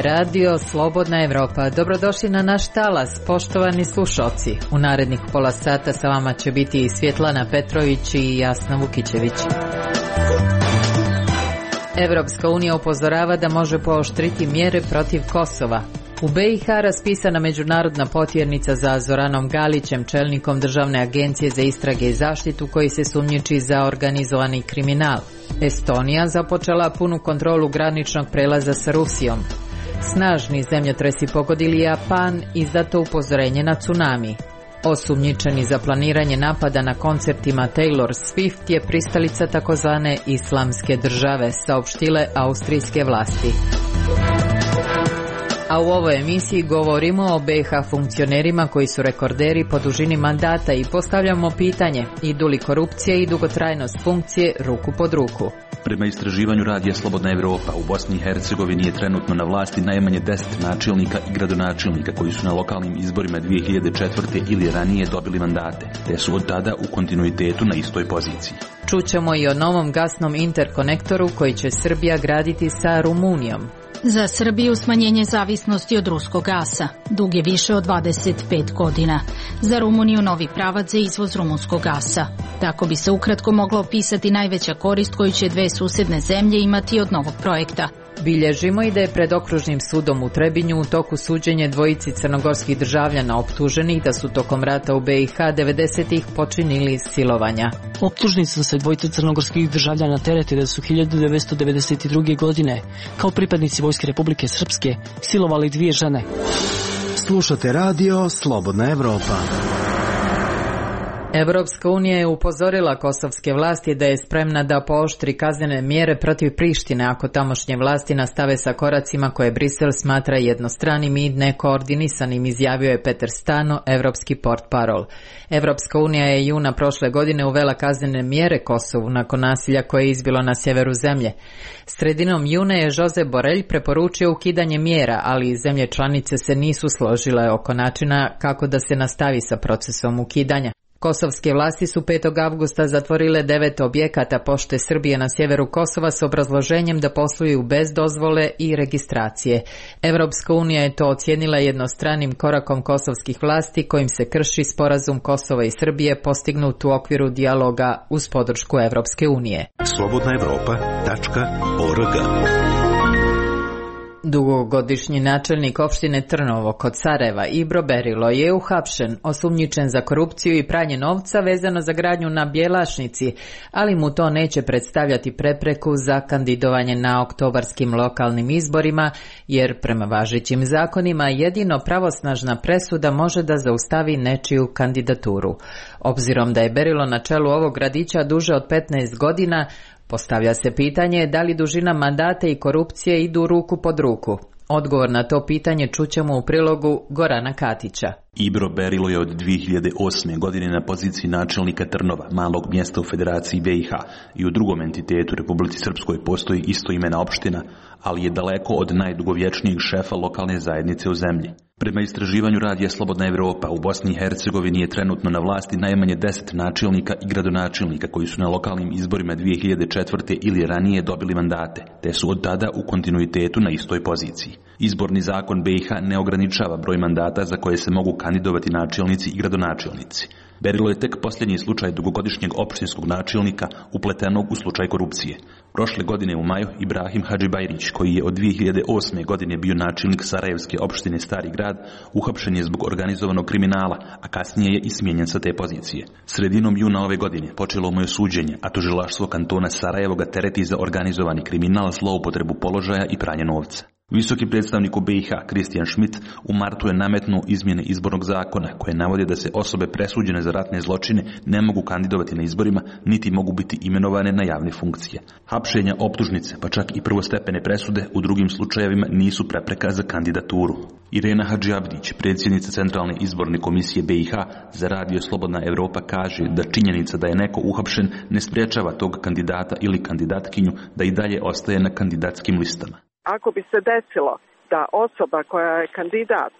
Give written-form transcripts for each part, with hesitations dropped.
je radio Slobodna Evropa. Dobrodošli na naš talas, poštovani slušalci. U narednih pola sata sa vama će biti Svjetlana Petrović i Jasna Vukićević. Evropska unija upozorava da može pooštriti mjere protiv Kosova. U BiH raspisana međunarodna potjernica za Zoranom Galićem, čelnikom Državne agencije za istrage i zaštitu koji se sumnjiči za organizovani kriminal. Estonija započela punu kontrolu graničnog prelaza sa Rusijom. Snažni zemljotresi pogodili Japan, izdato upozorenje na tsunami. Osumnjičeni za planiranje napada na koncertima Taylor Swift je pristalica takozvane islamske države, saopštile austrijske vlasti. A u ovoj emisiji govorimo o BiH funkcionerima koji su rekorderi po dužini mandata i postavljamo pitanje: idu li korupcija i dugotrajnost funkcije ruku pod ruku? Prema istraživanju radija Slobodna Evropa, u Bosni i Hercegovini je trenutno na vlasti najmanje 10 načelnika i gradonačelnika koji su na lokalnim izborima 2004. ili ranije dobili mandate, te su od tada u kontinuitetu na istoj poziciji. Čućemo i o novom gasnom interkonektoru koji će Srbija graditi sa Rumunijom. Za Srbiju smanjenje zavisnosti od ruskog gasa. Dug je više od 25 godina. Za Rumuniju novi pravac za izvoz rumunskog gasa. Tako bi se ukratko mogla opisati najveća korist koju će dve susjedne zemlje imati od novog projekta. Bilježimo i da je pred okružnim sudom u Trebinju u toku suđenje dvojici crnogorskih državljana optuženih da su tokom rata u BiH 90-ih počinili silovanja. Optužnici su se dvojice crnogorskih državljana terete da su 1992. godine kao pripadnici Vojske Republike Srpske silovali dvije žene. Slušate radio Slobodna Evropa. Evropska unija je upozorila kosovske vlasti da je spremna da pooštri kaznene mjere protiv Prištine ako tamošnje vlasti nastave sa koracima koje Brisel smatra jednostranim i nekoordinisanim, izjavio je Peter Stano, evropski portparol. Evropska unija je juna prošle godine uvela kaznene mjere Kosovu nakon nasilja koje je izbilo na sjeveru zemlje. Sredinom juna je Josep Borrell preporučio ukidanje mjera, ali zemlje članice se nisu složile oko načina kako da se nastavi sa procesom ukidanja. Kosovske vlasti su 5. avgusta zatvorile 9 objekata Pošte Srbije na sjeveru Kosova s obrazloženjem da posluju bez dozvole i registracije. Evropska unija je to ocijenila jednostranim korakom kosovskih vlasti kojim se krši sporazum Kosova i Srbije postignut u okviru dijaloga uz podršku Evropske unije. slobodnaevropa.org. Dugogodišnji načelnik opštine Trnovo kod Sarajeva Ibro Berilo je uhapšen, osumnjičen za korupciju i pranje novca vezano za gradnju na Bjelašnici, ali mu to neće predstavljati prepreku za kandidovanje na oktobarskim lokalnim izborima, jer prema važećim zakonima jedino pravosnažna presuda može da zaustavi nečiju kandidaturu. Obzirom da je Berilo na čelu ovog gradića duže od 15 godina, postavlja se pitanje da li dužina mandata i korupcije idu ruku pod ruku. Odgovor na to pitanje čućemo u prilogu Gorana Katića. Ibro Berilo je od 2008. godine na poziciji načelnika Trnova, malog mjesta u Federaciji BiH, i u drugom entitetu Republici Srpskoj postoji istoimena opština, ali je daleko od najdugovječnijeg šefa lokalne zajednice u zemlji. Prema istraživanju radija Slobodna Evropa, u Bosni i Hercegovini je trenutno na vlasti najmanje 10 načelnika i gradonačelnika koji su na lokalnim izborima 2004. ili ranije dobili mandate, te su od tada u kontinuitetu na istoj poziciji. Izborni zakon BiH ne ograničava broj mandata za koje se mogu kandidovati načelnici i gradonačelnici. Berilo je tek posljednji slučaj dugogodišnjeg opštinskog načelnika upletenog u slučaj korupcije. Prošle godine u maju Ibrahim Hadžibajrić, koji je od 2008. godine bio načelnik Sarajevske opštine Stari grad, uhapšen je zbog organizovanog kriminala, a kasnije je i smijenjen sa te pozicije. Sredinom juna ove godine počelo mu je suđenje, a tužilaštvo kantona Sarajevo ga tereti za organizovani kriminal, zloupotrebu položaja i pranje novca. Visoki predstavnik u BiH, Kristijan Schmidt, u martu je nametnuo izmjene izbornog zakona koje navode da se osobe presuđene za ratne zločine ne mogu kandidovati na izborima, niti mogu biti imenovane na javne funkcije. Hapšenja, optužnice, pa čak i prvostepene presude u drugim slučajevima nisu prepreka za kandidaturu. Irena Hadžiabdić, predsjednica Centralne izborne komisije BiH za radio Slobodna Evropa, kaže da činjenica da je neko uhapšen ne sprječava tog kandidata ili kandidatkinju da i dalje ostaje na kandidatskim listama. Ako bi se desilo da osoba koja je kandidat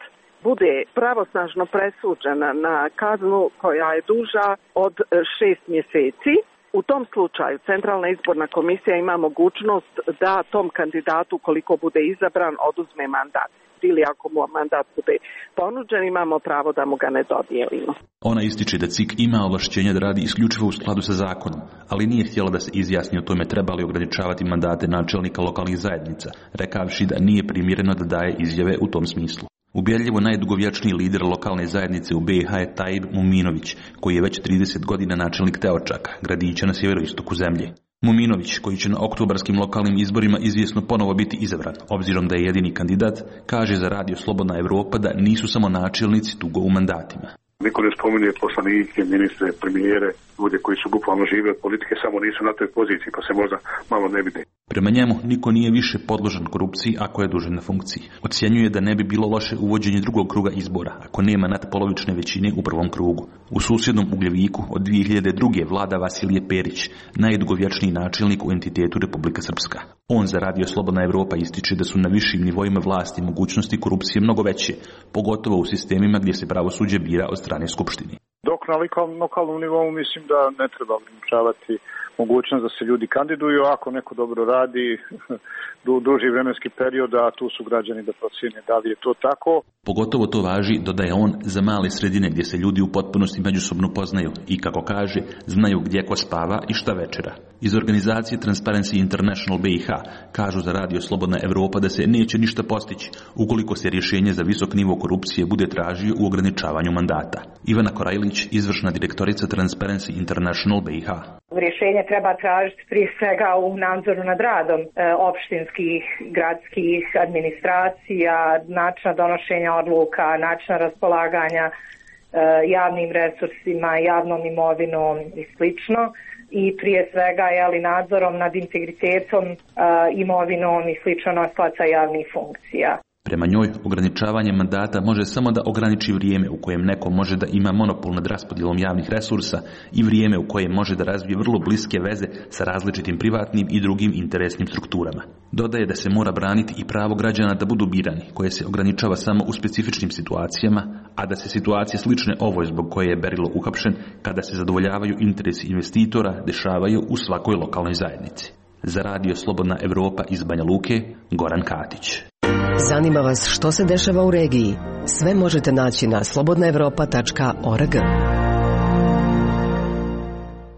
bude pravosnažno presuđena na kaznu koja je duža od 6 mjeseci, U tom slučaju Centralna izborna komisija ima mogućnost da tom kandidatu, koliko bude izabran, oduzme mandat. Ili ako mu mandat bude ponuđen, imamo pravo da mu ga ne dodijelimo. Ona ističe da CIK ima ovlašćenja da radi isključivo u skladu sa zakonom, ali nije htjela da se izjasni o tome treba li ograničavati mandate načelnika lokalnih zajednica, rekavši da nije primjereno da daje izjave u tom smislu. Ubjedljivo najdugovječniji lider lokalne zajednice u BiH je Tajib Muminović, koji je već 30 godina načelnik Teočaka, gradića na sjeveroistoku zemlje. Muminović, koji će na oktobarskim lokalnim izborima izvjesno ponovo biti izabran, obzirom da je jedini kandidat, kaže za Radio Slobodna Evropa da nisu samo načelnici dugo u mandatima. Niko ne spominje poslanike, ministre, premijere, ljude koji su bukvalno žive od politike, samo nisu na toj poziciji, pa se možda malo ne vide. Prema njemu, niko nije više podložen korupciji ako je dužan na funkciji. Ocjenjuje da ne bi bilo loše uvođenje drugog kruga izbora, ako nema natpolovične većine u prvom krugu. U susjednom Ugljeviku od 2002. vlada Vasilije Perić, najdugovječniji načelnik u entitetu Republika Srpska. On za Radio Slobodna Evropa ističe da su na višim nivoima vlasti mogućnosti korupcije mnogo veće, pogotovo u sistemima gdje se pravosuđe bira od strane Skupštine. Dok na lokalnom nivou mislim da ne treba ograničavati mogućnost da se ljudi kandiduju, ako neko dobro radi duži vremenski period, a tu su građani da procjene da li je to tako. Pogotovo to važi, dodaje on, za male sredine gdje se ljudi u potpunosti međusobno poznaju i, kako kaže, znaju gdje ko spava i šta večera. Iz organizacije Transparency International BiH kažu za Radio Slobodna Evropa da se neće ništa postići ukoliko se rješenje za visok nivo korupcije bude tražio u ograničavanju mandata. Ivana Korajlić, izvršna direktorica Transparency International BiH. Rješenje treba tražiti prije svega u nadzoru nad radom opštinskih, gradskih administracija, načina donošenja odluka, načina raspolaganja javnim resursima, javnom imovinom i slično. I prije svega nadzorom nad integritetom, imovinom i slično nosilaca javnih funkcija. Prema njoj, ograničavanje mandata može samo da ograniči vrijeme u kojem neko može da ima monopol nad raspodjelom javnih resursa i vrijeme u kojem može da razvije vrlo bliske veze sa različitim privatnim i drugim interesnim strukturama. Dodaje da se mora braniti i pravo građana da budu birani, koje se ograničava samo u specifičnim situacijama, a da se situacije slične ovoj zbog koje je Berilo uhapšen, kada se zadovoljavaju interesi investitora, dešavaju u svakoj lokalnoj zajednici. Za Radio Slobodna Evropa iz Banja Luke, Goran Katić. Zanima vas što se dešava u regiji? Sve možete naći na slobodnaevropa.org.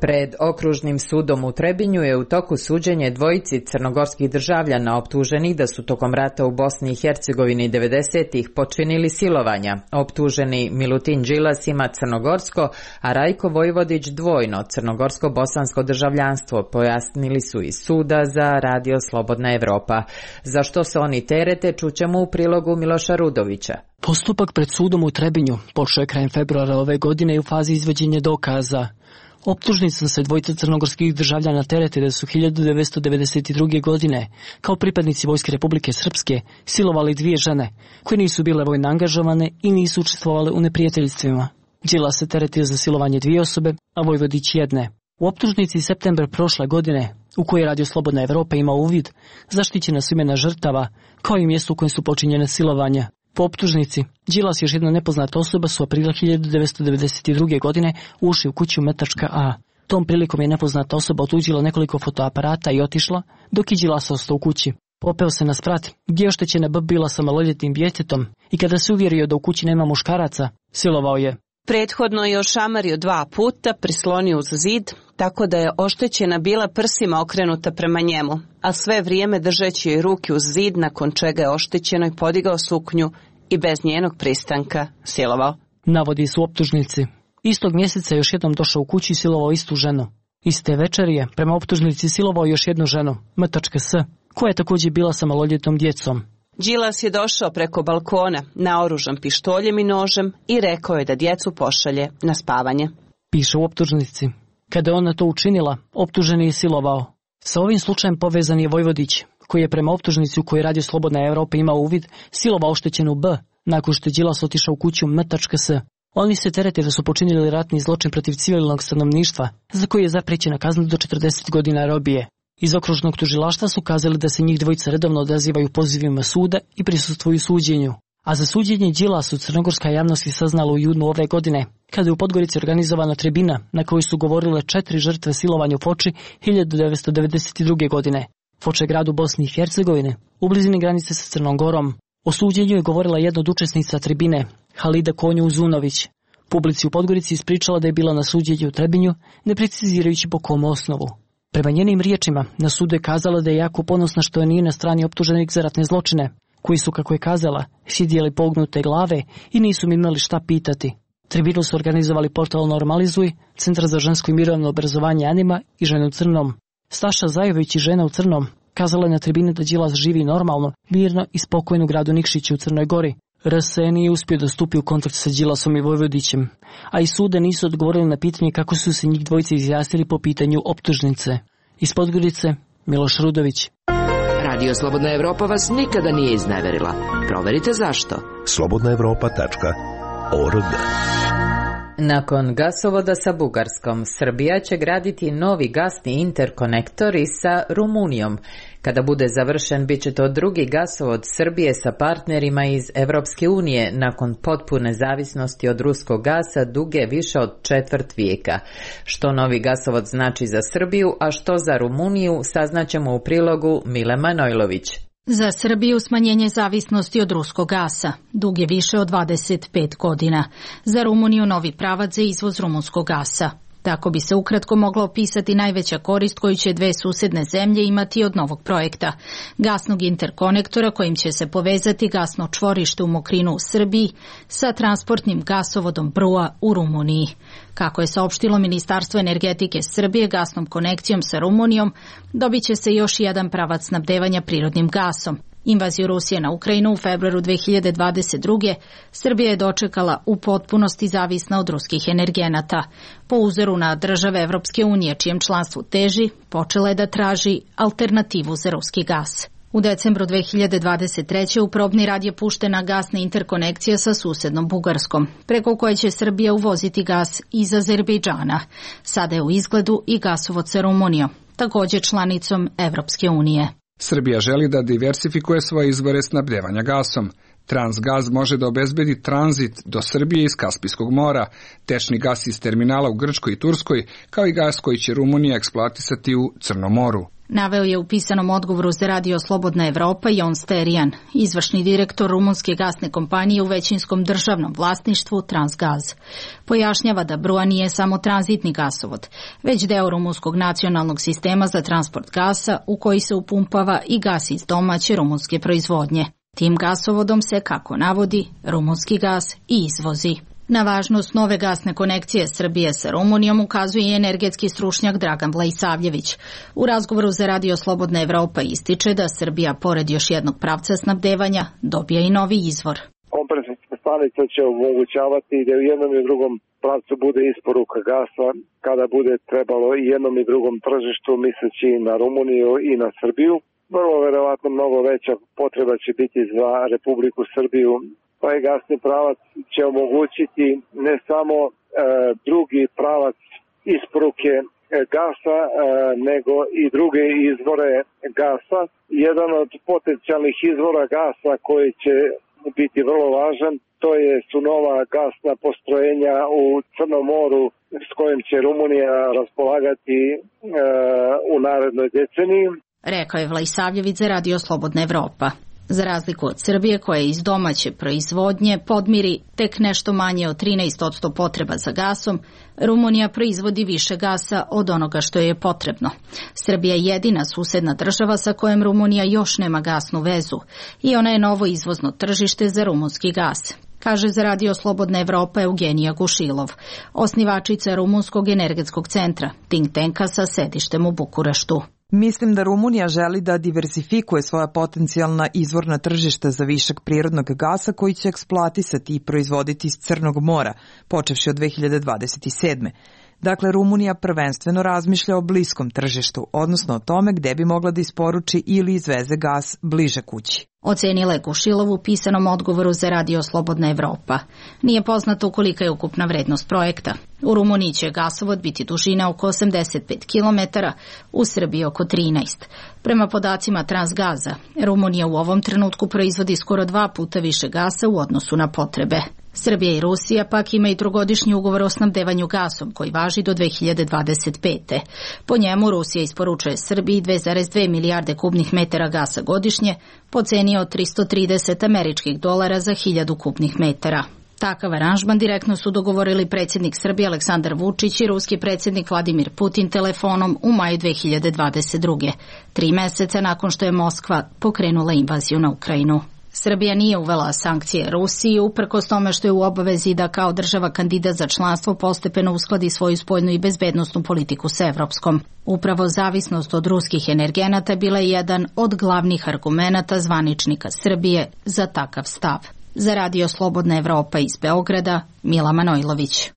Pred okružnim sudom u Trebinju je u toku suđenje dvojici crnogorskih državljana optuženih da su tokom rata u Bosni i Hercegovini 90-ih počinili silovanja. Optuženi Milutin Đilas ima crnogorsko, a Rajko Vojvodić dvojno crnogorsko-bosansko državljanstvo, pojasnili su iz suda za Radio Slobodna Evropa. Za što se oni terete, čućemo u prilogu Miloša Rudovića. Postupak pred sudom u Trebinju počeo je krajem februara ove godine i u fazi izvođenja dokaza. Optužnicom se dvojica crnogorskih državljana terete da su 1992. godine, kao pripadnici Vojske Republike Srpske, silovali dvije žene, koje nisu bile vojno angažovane i nisu učestvovale u neprijateljstvima. Đilas se teretio za silovanje dvije osobe, a Vojvodić jedne. U optužnici septembar prošle godine, u kojoj Radio Slobodna Evropa ima uvid, zaštićena su imena žrtava, kao i mjesto u kojem su počinjene silovanja. Po optužnici, Đilas i još jedna nepoznata osoba su aprila 1992. godine ušli u kuću Metačka A. Tom prilikom je nepoznata osoba otuđila nekoliko fotoaparata i otišla, dok je Đilas ostao u kući. Popeo se na sprat, gdje je oštećena B bila sa maloljetnim djetetom i kada se uvjerio da u kući nema muškaraca, silovao je. Prethodno je ošamario 2 puta, prislonio uz zid, tako da je oštećena bila prsima okrenuta prema njemu, a sve vrijeme držeći joj ruke uz zid, nakon čega je oštećenoj podigao suknju i bez njenog pristanka silovao. Navodi su optužnici. Istog mjeseca je još jednom došao u kući i silovao istu ženu. Iste večeri je prema optužnici silovao još jednu ženu, M.S., koja je također bila sa maloljetnom djecom. Đilas je došao preko balkona, naoružan pištoljem i nožem, i rekao je da djecu pošalje na spavanje. Piše u optužnici. Kada je ona to učinila, optuženi je silovao. Sa ovim slučajem povezan je Vojvodić, koji je prema optužnici u kojoj Radio Slobodna Evropa imao uvid, silovao oštećenu B, nakon što je Đilas otišao u kuću M.S. Oni se terete da su počinili ratni zločin protiv civilnog stanovništva, za koji je zapriječena kazna do 40 godina robije. Iz okružnog tužilaštva su kazali da se njih dvojica redovno odazivaju pozivima suda i prisustvuju suđenju. A za suđenje Đilasu crnogorska javnost je saznala u junu ove godine, kada je u Podgorici organizovana tribina na kojoj su govorile 4 žrtve silovanja u Foči 1992. godine. Foča je grad u Bosni i Hercegovine, u blizini granice sa Crnom Gorom. O suđenju je govorila jedna od učesnica tribine, Halida Konju-Uzunović. Publici u Podgorici ispričala da je bila na suđenju u Trebinju, ne precizirajući po kom osnovu. Prema njenim riječima, na sudu je kazala da je jako ponosna što je nije na strani optuženih za ratne zločine, koji su, kako je kazala, sjedjeli pognute glave i nisu mi imali šta pitati. Tribinu su organizovali portal Normalizuj, Centar za žensko i mirovno obrazovanje Anima i Žene u crnom. Staša Zajović i Žena u crnom kazala je na tribini da Đilas živi normalno, mirno i spokojno u gradu Nikšiću u Crnoj Gori. RS nije uspio da stupi u kontakt sa Đilasom i Vojvodićem, a i sude nisu odgovorili na pitanje kako su se njih dvojice izjasnili po pitanju optužnice. Iz Podgorice, Miloš Rudović. Radio Slobodna Evropa vas nikada nije izneverila. Proverite zašto. slobodnaevropa.org. Nakon gasovoda sa Bugarskom, Srbija će graditi novi gasni interkonektor i sa Rumunijom. Kada bude završen, bit će to drugi gasovod Srbije sa partnerima iz Evropske unije nakon potpune zavisnosti od ruskog gasa duge više od četvrt vijeka. Što novi gasovod znači za Srbiju, a što za Rumuniju, saznaćemo u prilogu Mile Manojlović. Za Srbiju smanjenje zavisnosti od ruskog gasa dug je više od 25 godina. Za Rumuniju novi pravac za izvoz rumunskog gasa. Tako bi se ukratko mogla opisati najveća korist koju će dve susedne zemlje imati od novog projekta. Gasnog interkonektora kojim će se povezati gasno čvorište u Mokrinu u Srbiji sa transportnim gasovodom Brua u Rumuniji. Kako je saopštilo Ministarstvo energetike Srbije, gasnom konekcijom sa Rumunijom dobit će se još jedan pravac snabdevanja prirodnim gasom. Invaziju Rusije na Ukrajinu u februaru 2022. Srbija je dočekala u potpunosti zavisna od ruskih energenata. Po uzoru na države Evropske unije, čijem članstvu teži, počela je da traži alternativu za ruski gas. U decembru 2023. u probni rad je puštena gasna interkonekcija sa susednom Bugarskom, preko koje će Srbija uvoziti gas iz Azerbejdžana. Sada je u izgledu i gasovod sa Rumunijom, također članicom Evropske unije. Srbija želi da diversifikuje svoje izvore snabdevanja gasom. Transgaz može da obezbedi tranzit do Srbije iz Kaspijskog mora, tečni gas iz terminala u Grčkoj i Turskoj, kao i gas koji će Rumunija eksploatisati u Crnom moru. Naveo je u pisanom odgovoru za Radio Slobodna Evropa Jon Sterijan, izvršni direktor rumunske gasne kompanije u većinskom državnom vlasništvu Transgaz. Pojašnjava da Brua nije samo tranzitni gasovod, već deo rumunskog nacionalnog sistema za transport gasa u koji se upumpava i gas iz domaće rumunske proizvodnje. Tim gasovodom se, kako navodi, rumunski gas i izvozi. Na važnost nove gasne konekcije Srbije sa Rumunijom ukazuje i energetski stručnjak Dragan Vlaisavljević. U razgovoru za Radio Slobodna Evropa ističe da Srbija, pored još jednog pravca snabdevanja, dobija i novi izvor. Kompresorska stanica će omogućavati da u jednom i drugom pravcu bude isporuka gasa kada bude trebalo i jednom i drugom tržištu, misleći na Rumuniju i na Srbiju. Vrlo verovatno mnogo veća potreba će biti za Republiku Srbiju. Ovaj gasni pravac će omogućiti ne samo drugi pravac isporuke gasa, nego i druge izvore gasa. Jedan od potencijalnih izvora gasa koji će biti vrlo važan, su nova gasna postrojenja u Crnom moru s kojim će Rumunija raspolagati u narednoj deceniji. Rekao je Vlaisavljević za Radio Slobodna Evropa. Za razliku od Srbije, koja iz domaće proizvodnje podmiri tek nešto manje od 13% potreba za gasom, Rumunija proizvodi više gasa od onoga što je potrebno. Srbija je jedina susedna država sa kojom Rumunija još nema gasnu vezu i ona je novo izvozno tržište za rumunski gas, kaže za Radio Slobodna Evropa Eugenija Gušilov, osnivačica Rumunskog energetskog centra, think tanka sa sedištem u Bukureštu. Mislim da Rumunija želi da diversifikuje svoja potencijalna izvorna tržišta za višak prirodnog gasa koji će eksploatisati i proizvoditi iz Crnog mora, počevši od 2027. Dakle, Rumunija prvenstveno razmišlja o bliskom tržištu, odnosno o tome gde bi mogla da isporuči ili izveze gas bliže kući. Ocenila je Gušilov u pisanom odgovoru za Radio Slobodna Evropa. Nije poznato kolika je ukupna vrednost projekta. U Rumuniji će gasovod biti dužine oko 85 km, u Srbiji oko 13. Prema podacima Transgaza, Rumunija u ovom trenutku proizvodi skoro 2 puta više gasa u odnosu na potrebe. Srbija i Rusija pak imaju trogodišnji ugovor o snabdevanju gasom koji važi do 2025. Po njemu Rusija isporučuje Srbiji 2,2 milijarde kubnih metara gasa godišnje po ceni od $330 za 1000 kubnih metara. Takav aranžman direktno su dogovorili predsjednik Srbije Aleksandar Vučić i ruski predsjednik Vladimir Putin telefonom u maju 2022. 3 meseca nakon što je Moskva pokrenula invaziju na Ukrajinu. Srbija nije uvela sankcije Rusiji, uprkos tome što je u obavezi da kao država kandidat za članstvo postepeno uskladi svoju spoljnu i bezbednosnu politiku s evropskom. Upravo zavisnost od ruskih energenata bila je jedan od glavnih argumenata zvaničnika Srbije za takav stav. Za Radio Slobodna Evropa iz Beograda, Mila Manojlović.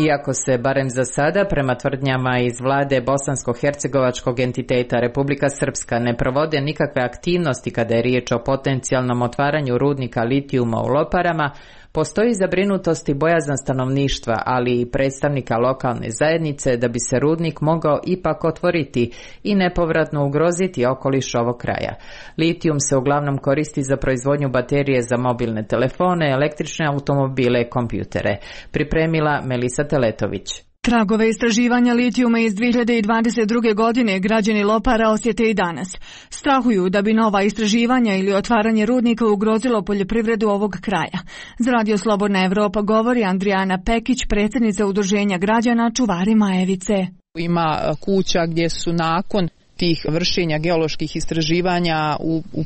Iako se, barem za sada, prema tvrdnjama iz vlade bosansko-hercegovačkog entiteta Republika Srpska ne provode nikakve aktivnosti kada je riječ o potencijalnom otvaranju rudnika litijuma u Loparama, postoji zabrinutost i bojazan stanovništva, ali i predstavnika lokalne zajednice da bi se rudnik mogao ipak otvoriti i nepovratno ugroziti okoliš ovog kraja. Litijum se uglavnom koristi za proizvodnju baterije za mobilne telefone, električne automobile i kompjutere. Pripremila Melisa Teletović. Tragove istraživanja litijuma iz 2022. godine građani Lopara osjete i danas. Strahuju da bi nova istraživanja ili otvaranje rudnika ugrozilo poljoprivredu ovog kraja. Za Radio Slobodna Evropa govori Andrijana Pekić, predsjednica udruženja građana Čuvari Majevice. Ima kuća gdje su nakon tih vršenja geoloških istraživanja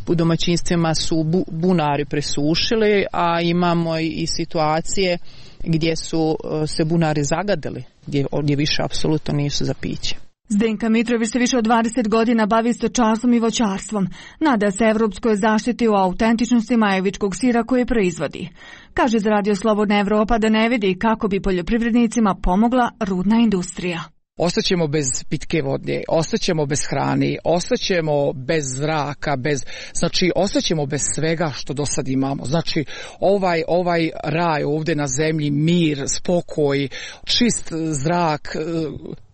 u domaćinstvima su bunari presušili, a imamo i situacije gdje su se bunari zagadili, gdje više apsolutno nisu za piće. Zdenka Mitrović se više od 20 godina bavi stočarstvom i voćarstvom. Nada se evropskoj zaštiti u autentičnosti majevičkog sira koje proizvodi. Kaže za Radio Slobodna Evropa da ne vidi kako bi poljoprivrednicima pomogla rudna industrija. Ostaćemo bez pitke vode, ostaćemo bez hrane, ostaćemo bez zraka, znači ostaćemo bez svega što do sad imamo. Znači ovaj raj ovdje na zemlji, mir, spokoj, čist zrak,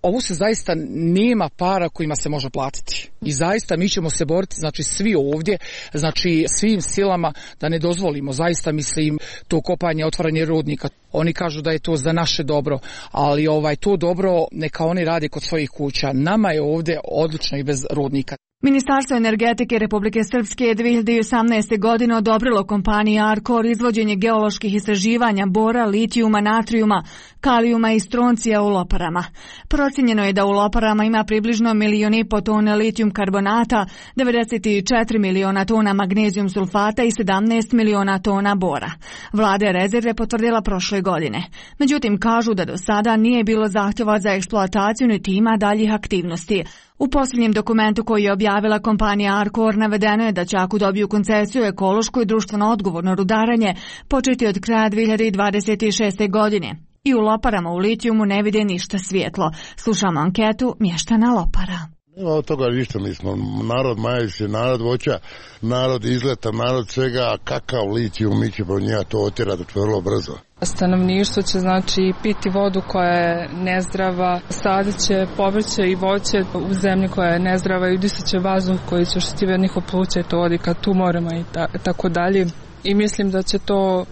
ovo se zaista nema para kojima se može platiti. I zaista mi ćemo se boriti, znači svi ovdje, znači svim silama da ne dozvolimo, zaista mislim, to kopanje, otvaranje rudnika. Oni kažu da je to za naše dobro, ali to dobro neka oni rade kod svojih kuća. Nama je ovdje odlično i bez rudnika. Ministarstvo energetike Republike Srpske je 2018. godine odobrilo kompaniji Arkor izvođenje geoloških istraživanja bora, litijuma, natrijuma, kalijuma i stroncija u Loparama. Procijenjeno je da u Loparama ima približno 1,5 miliona tona litijum karbonata, 94 miliona tona magnezijum sulfata i 17 miliona tona bora. Vlada je rezerve potvrdila prošle godine. Međutim, kažu da do sada nije bilo zahtjeva za eksploataciju niti ima daljih aktivnosti. U posljednjem dokumentu koji je objavila kompanija Arkor navedeno je da će ako dobiju koncesiju ekološko i društveno odgovorno rudarenje početi od kraja 2026. godine. I u Loparama u litijumu ne vide ništa svjetlo. Slušamo anketu mještana Lopara. Nema od toga ništa, mi smo narod Majevice, narod voća, narod izleta, narod svega, a kakav litijum, mi ćemo njega to otjerati vrlo brzo. Stanovništvo će znači piti vodu koja je nezdrava, sadit će povrće i voće u zemlji koja je nezdrava i udisat će vazduh koji će oštetiti njihov pluća i to vodi ka tumorima i tako dalje. I mislim da će to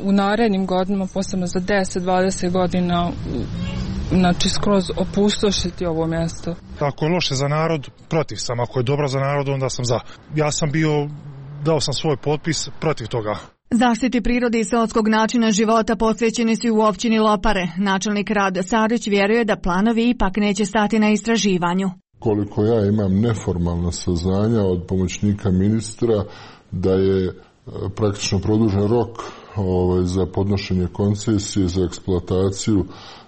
u narednim godinama, posebno za 10-20 godina, znači skroz opustošiti ovo mjesto. Ako je loše za narod, protiv sam. Ako je dobro za narod, onda sam za. Ja sam dao sam svoj potpis protiv toga. Zaštiti prirode i seoskog načina života posvećeni su u općini Lopare. Načelnik Rade Sarić vjeruje da planovi ipak neće stati na istraživanju. Koliko ja imam neformalna saznanja od pomoćnika ministra da je praktično produžen rok za podnošenje koncesije za eksploataciju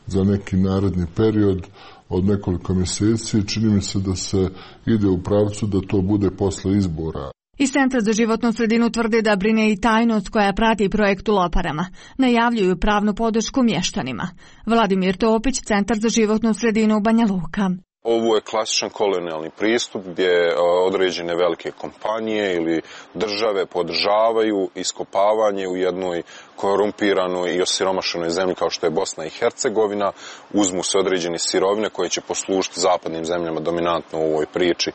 za neki naredni period od nekoliko mjeseci. Čini mi se da se ide u pravcu da to bude posle izbora. Iz Centra za životnu sredinu tvrde da brine i tajnost koja prati projekt u Loparama. Najavljuju pravnu podršku mještanima. Vladimir Topić, Centar za životnu sredinu Banja Luka. Ovo je klasičan kolonijalni pristup gdje određene velike kompanije ili države podržavaju iskopavanje u jednoj korumpiranoj i osiromašenoj zemlji kao što je Bosna i Hercegovina. Uzmu se određene sirovine koje će poslužiti zapadnim zemljama dominantno u ovoj priči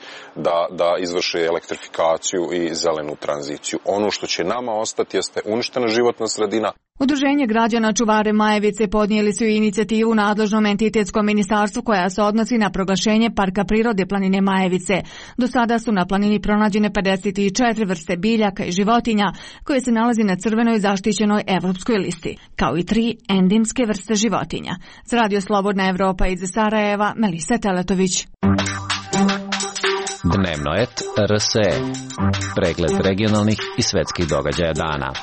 da izvrše elektrifikaciju i zelenu tranziciju. Ono što će nama ostati jeste uništena životna sredina. Udruženje građana Čuvare Majevice podnijeli su inicijativu nadležnom entitetskom ministarstvu koja se odnosi na proglašenje Parka prirode planine Majevice. Do sada su na planini pronađene 54 vrste biljaka i životinja koje se nalazi na crvenoj zaštićenoj evropskoj listi, kao i 3 endemske vrste životinja. Za Radio Slobodna Evropa iz Sarajeva, Melisa Teletović. Dnevno et RSE. Pregled regionalnih i svetskih događaja dana.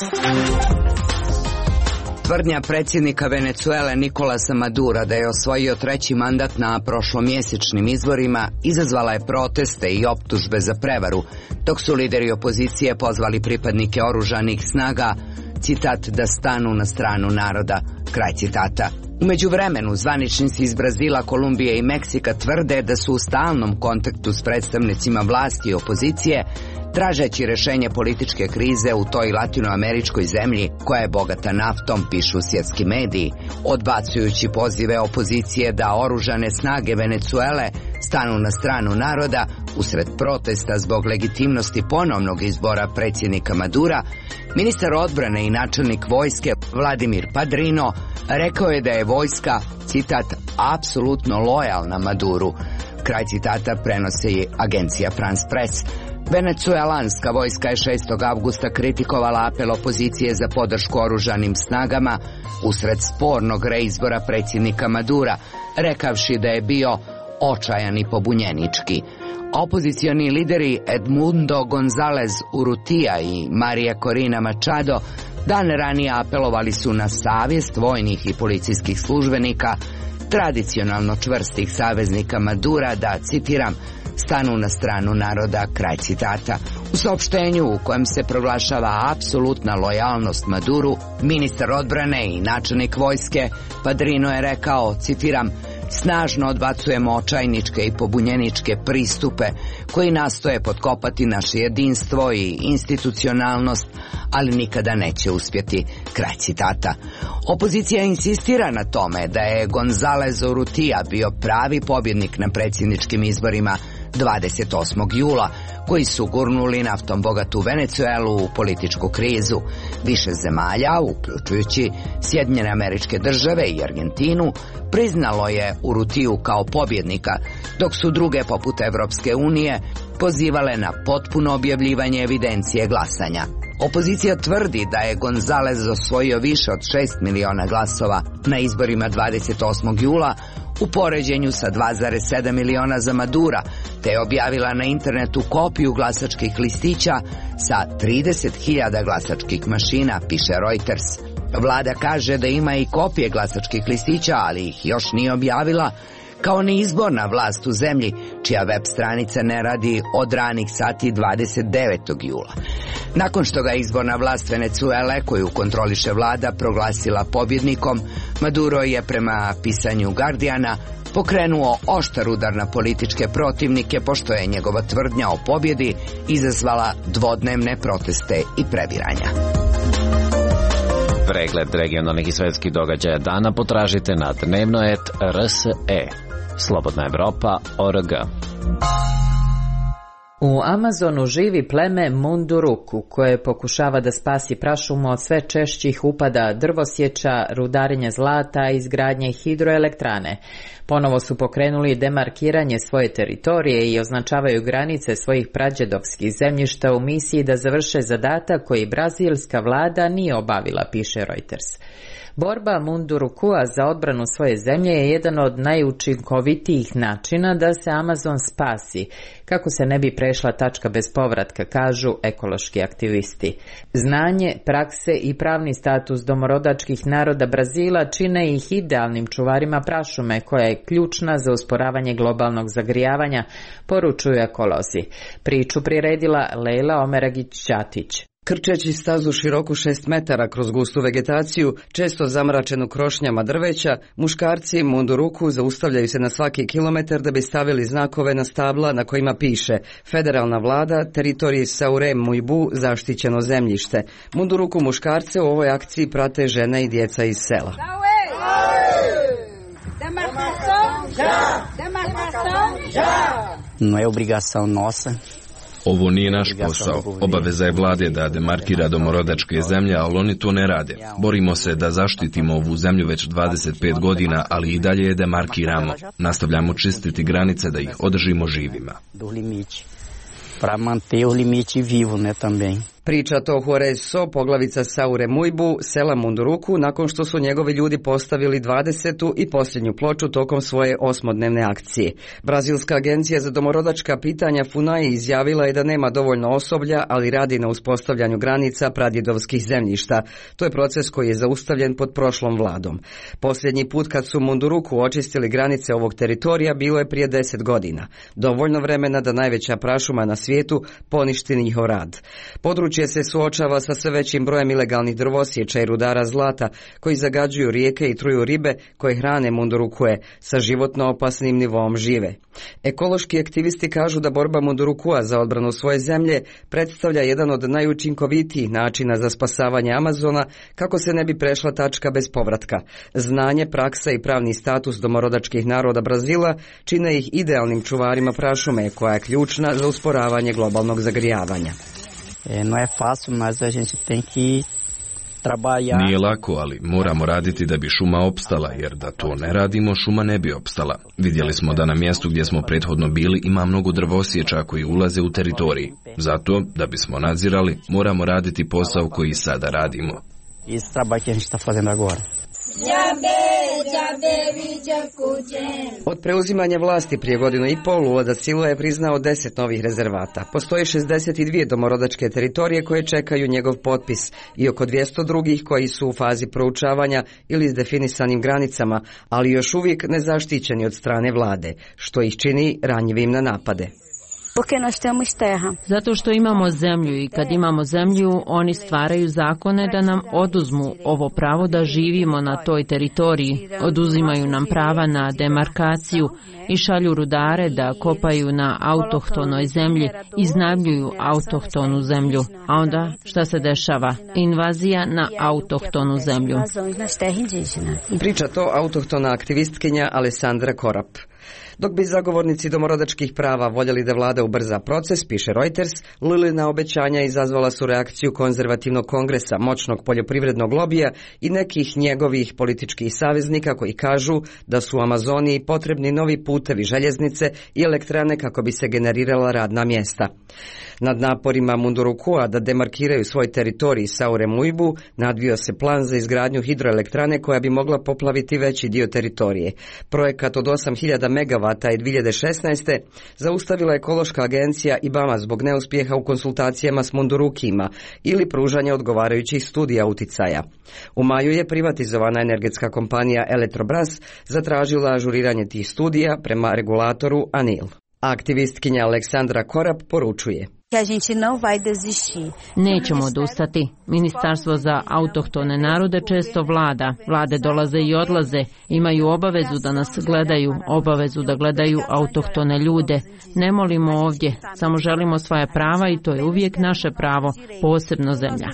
Tvrdnja predsjednika Venecuele Nicolasa Madura da je osvojio 3. mandat na prošlomjesečnim izborima izazvala je proteste i optužbe za prevaru, dok su lideri opozicije pozvali pripadnike oružanih snaga, citat, da stanu na stranu naroda, kraj citata. U međuvremenu, zvaničnici iz Brazila, Kolumbije i Meksika tvrde da su u stalnom kontaktu s predstavnicima vlasti i opozicije, tražeći rešenje političke krize u toj latinoameričkoj zemlji koja je bogata naftom, pišu svjetski mediji, odbacujući pozive opozicije da oružane snage Venecuele stanu na stranu naroda usred protesta zbog legitimnosti ponovnog izbora predsjednika Madura. Ministar odbrane i načelnik vojske Vladimir Padrino rekao je da je vojska, citat, apsolutno lojalna Maduru, kraj citata, prenosi agencija France Press. Venecuelanska vojska je 6. avgusta kritikovala apel opozicije za podršku oružanim snagama usred spornog reizbora predsjednika Madura, rekavši da je bio očajan i pobunjenički. Opozicioni lideri Edmundo González Urrutia i María Corina Machado dan ranije apelovali su na savjest vojnih i policijskih službenika, tradicionalno čvrstih saveznika Madura, da, citiram, stanu na stranu naroda, kraj citata. U saopštenju u kojem se proglašava apsolutna lojalnost Maduru, ministar odbrane i načelnik vojske Padrino je rekao, citiram, snažno odbacujemo očajničke i pobunjeničke pristupe koji nastoje potkopati naše jedinstvo i institucionalnost, ali nikada neće uspjeti, kraj citata. Opozicija insistira na tome da je González Urrutia bio pravi pobjednik na predsjedničkim izborima 28. jula, koji su gurnuli naftom bogatu Venecuelu u političku krizu. Više zemalja, uključujući Sjedinjene Američke Države i Argentinu, priznalo je Urrutiju kao pobjednika, dok su druge poput Evropske unije pozivale na potpuno objavljivanje evidencije glasanja. Opozicija tvrdi da je González osvojio više od 6 miliona glasova na izborima 28. jula u poređenju sa 2,7 miliona za Madura, te je objavila na internetu kopiju glasačkih listića sa 30.000 glasačkih mašina, piše Reuters. Vlada kaže da ima i kopije glasačkih listića, ali ih još nije objavila, kao ni izborna vlast u zemlji, čija web stranica ne radi od ranih sati 29. jula. Nakon što ga izborna vlast Venecuele, koju kontroliše vlada, proglasila pobjednikom, Maduro je, prema pisanju Guardiana, pokrenuo oštar udar na političke protivnike, pošto je njegova tvrdnja o pobjedi izazvala dvodnevne proteste i prebiranja. Pregled regionalnih i svetskih događaja dana potražite na dnevnoet.rse. Slobodna Evropa.org. U Amazonu živi pleme Munduruku, koje pokušava da spasi prašumu od sve češćih upada drvosječa, rudarenja zlata i izgradnje hidroelektrane. Ponovo su pokrenuli demarkiranje svoje teritorije i označavaju granice svojih prađedovskih zemljišta u misiji da završe zadatak koji brazilska vlada nije obavila, piše Reuters. Borba Mundurukua za odbranu svoje zemlje je jedan od najučinkovitijih načina da se Amazon spasi, kako se ne bi prešla tačka bez povratka, kažu ekološki aktivisti. Znanje, prakse i pravni status domorodačkih naroda Brazila čine ih idealnim čuvarima prašume, koja je ključna za usporavanje globalnog zagrijavanja, poručuju ekolozi. Priču priredila Leila Omeragić-Ćatić. Krčeći stazu široku 6 metara kroz gustu vegetaciju, često zamračenu krošnjama drveća, muškarci Munduruku zaustavljaju se na svaki kilometar da bi stavili znakove na stabla na kojima piše Federalna vlada, teritoriji Saure Mujbu, zaštićeno zemljište. Munduruku muškarce u ovoj akciji prate žene i djeca iz sela. Não é obrigação nossa. Ovo nije naš posao. Obaveza je vlade da demarkira domorodačke zemlje, ali oni to ne rade. Borimo se da zaštitimo ovu zemlju već 25 godina, ali i dalje je demarkiramo. Nastavljamo čistiti granice da ih održimo živima. Para manter o limite vivo, né, também. Priča to Juarez So, poglavica Saure Mujbu, sela Munduruku, nakon što su njegovi ljudi postavili 20. i posljednju ploču tokom svoje 8-dnevne akcije. Brazilska agencija za domorodačka pitanja FUNAI izjavila je da nema dovoljno osoblja, ali radi na uspostavljanju granica pradjedovskih zemljišta. To je proces koji je zaustavljen pod prošlom vladom. Posljednji put kad su Munduruku očistili granice ovog teritorija bilo je prije 10 godina. Dovoljno vremena da najveća prašuma na svijetu poništi njihov rad. Područje se suočava sa sve većim brojem ilegalnih drvosjeća i rudara zlata koji zagađuju rijeke i truju ribe koje hrane Mundurukue sa životno opasnim nivoom žive. Ekološki aktivisti kažu da borba Mundurukua za odbranu svoje zemlje predstavlja jedan od najučinkovitijih načina za spasavanje Amazona kako se ne bi prešla tačka bez povratka. Znanje, praksa i pravni status domorodačkih naroda Brazila čine ih idealnim čuvarima prašume koja je ključna za usporavanje globalnog zagrijavanja. Não é fácil, mas a gente tem que trabalhar. Nije lako, ali moramo raditi da bi šuma opstala, jer da to ne radimo, šuma ne bi opstala. Vidjeli smo da na mjestu gdje smo prethodno bili ima mnogo drvosječa koji ulaze u teritoriji. Zato, da bismo nadzirali, moramo raditi posao koji sada radimo. Esse trabalho que a gente está fazendo agora. Od preuzimanja vlasti prije godinu i pol Lula da Silva je priznao 10 novih rezervata. Postoje 62 domorodačke teritorije koje čekaju njegov potpis i oko 200 drugih koji su u fazi proučavanja ili s definisanim granicama, ali još uvijek nezaštićeni od strane vlade, što ih čini ranjivim na napade. Zato što imamo zemlju i kad imamo zemlju, oni stvaraju zakone da nam oduzmu ovo pravo da živimo na toj teritoriji, oduzimaju nam prava na demarkaciju i šalju rudare da kopaju na autohtonoj zemlji, iznajmljuju autohtonu zemlju. A onda šta se dešava? Invazija na autohtonu zemlju. Priča to autohtona aktivistkinja Alessandra Korap. Dok bi zagovornici domorodačkih prava voljeli da vlada ubrza proces, piše Reuters, Lilina obećanja izazvala su reakciju konzervativnog kongresa, moćnog poljoprivrednog lobija i nekih njegovih političkih saveznika koji kažu da su u Amazoniji potrebni novi putevi, željeznice i elektrane kako bi se generirala radna mjesta. Nad naporima Mundurukua da demarkiraju svoj teritorij Saure Mujbu nadvio se plan za izgradnju hidroelektrane koja bi mogla poplaviti veći dio teritorije. Projekat od 8000 megavata je 2016. zaustavila ekološka agencija IBAMA zbog neuspjeha u konsultacijama s Mundurukima ili pružanja odgovarajućih studija uticaja. U maju je privatizovana energetska kompanija Eletrobras zatražila ažuriranje tih studija prema regulatoru ANIL. Aktivistkinja Aleksandra Korap poručuje: Nećemo odustati. Ministarstvo za autohtone narode često vlada. Vlade dolaze i odlaze. Imaju obavezu da nas gledaju, obavezu da gledaju autohtone ljude. Ne molimo ovdje, samo želimo svoje prava i to je uvijek naše pravo, posebno zemlja.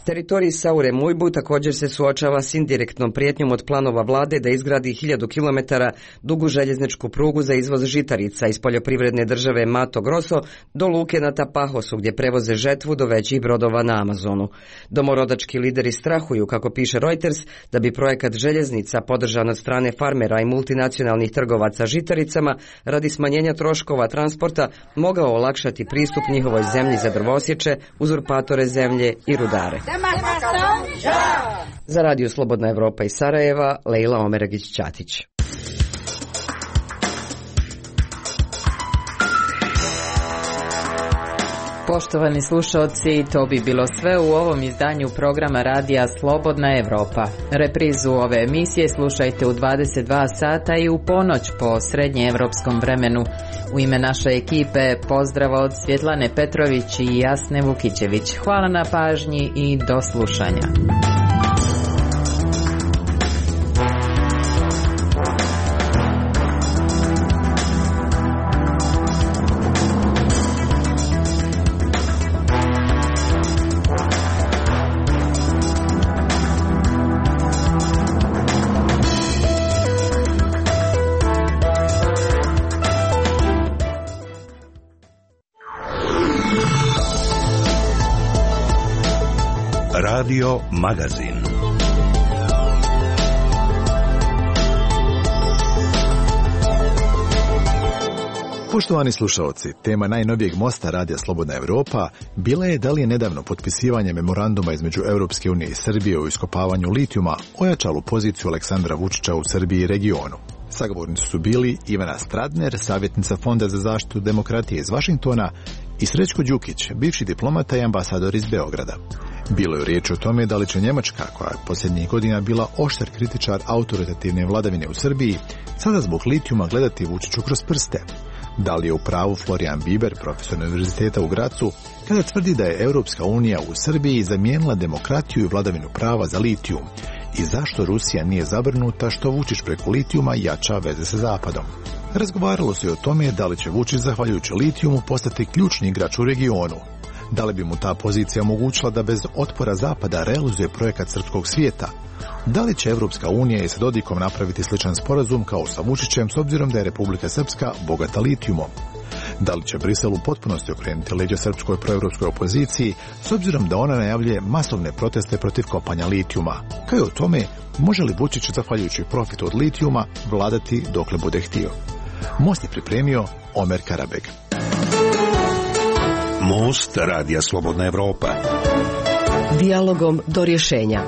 Teritorij Saure Mujbu također se suočava s indirektnom prijetnjom od planova vlade da izgradi 1000 km dugu željezničku prugu za izvoz žitarica iz poljoprivredne države Mato Grosso do luke na Tapahosu gdje prevoze žetvu do većih brodova na Amazonu. Domorodački lideri strahuju, kako piše Reuters, da bi projekat željeznica podržan od strane farmera i multinacionalnih trgovaca žitaricama radi smanjenja troškova transporta mogao olakšati pristup njihovoj zemlji za drvosječe, uzurpatore zemlje i rudare. Za Radio Slobodna Evropa iz Sarajeva, Lejla Omeragić-Ćatić. Poštovani slušalci, to bi bilo sve u ovom izdanju programa radija Slobodna Evropa. Reprizu ove emisije slušajte u 22 sata i u ponoć po srednjeevropskom vremenu. U ime naše ekipe pozdrav od Svjetlane Petrović i Jasne Vukićević. Hvala na pažnji i do slušanja. Radio Magazin. Poštovani slušalci, tema najnovijeg mosta Radija Slobodna Evropa bila je da li je nedavno potpisivanje memoranduma između Europske unije i Srbije o iskopavanju litijuma ojačalo poziciju Aleksandra Vučića u Srbiji i regionu. Sagovornici su bili Ivana Stradner, savjetnica Fonda za zaštitu demokratije iz Vašingtona, i Srećko Đukić, bivši diplomata i ambasador iz Beograda. Bilo je riječ o tome da li će Njemačka, koja je posljednjih godina bila oštar kritičar autoritativne vladavine u Srbiji, sada zbog litijuma gledati Vučiću kroz prste. Da li je u pravu Florian Biber, profesor univerziteta u Gracu, kada tvrdi da je Europska unija u Srbiji zamijenila demokratiju i vladavinu prava za litijum, i zašto Rusija nije zabrinuta što Vučić preko litijuma jača veze sa Zapadom. Razgovaralo se i o tome da li će Vučić zahvaljujući litijumu postati ključni igrač u regionu. Da li bi mu ta pozicija omogućila da bez otpora Zapada realizuje projekat srpskog svijeta? Da li će Evropska unija i sa Dodikom napraviti sličan sporazum kao sa Vučićem s obzirom da je Republika Srpska bogata litijumom? Da li će Brisel u potpunosti okrenuti leđa srpskoj proevropskoj opoziciji s obzirom da ona najavljuje masovne proteste protiv kopanja litijuma? Kao i o tome, može li Vučić zahvaljujući profitu od litijuma vladati dokle bude htio? Most je pripremio Omer Karabeg. Most Radija Slobodna Evropa. Dijalogom do rješenja.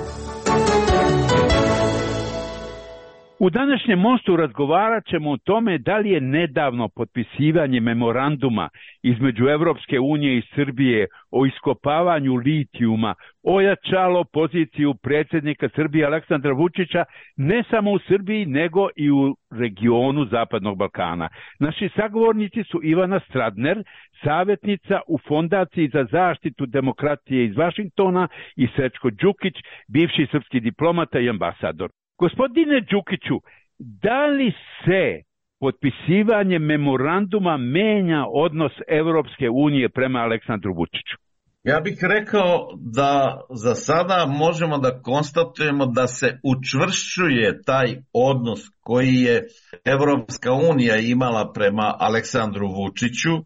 U današnjem mostu razgovarat ćemo o tome da li je nedavno potpisivanje memoranduma između Evropske unije i Srbije o iskopavanju litijuma ojačalo poziciju predsjednika Srbije Aleksandra Vučića ne samo u Srbiji nego i u regionu Zapadnog Balkana. Naši sagovornici su Ivana Stradner, savjetnica u Fondaciji za zaštitu demokratije iz Vašingtona, i Srećko Đukić, bivši srpski diplomata i ambasador. Gospodine Đukiću, da li se potpisivanje memoranduma menja odnos Evropske unije prema Aleksandru Vučiću? Ja bih rekao da za sada možemo da konstatujemo da se učvršćuje taj odnos koji je Evropska unija imala prema Aleksandru Vučiću,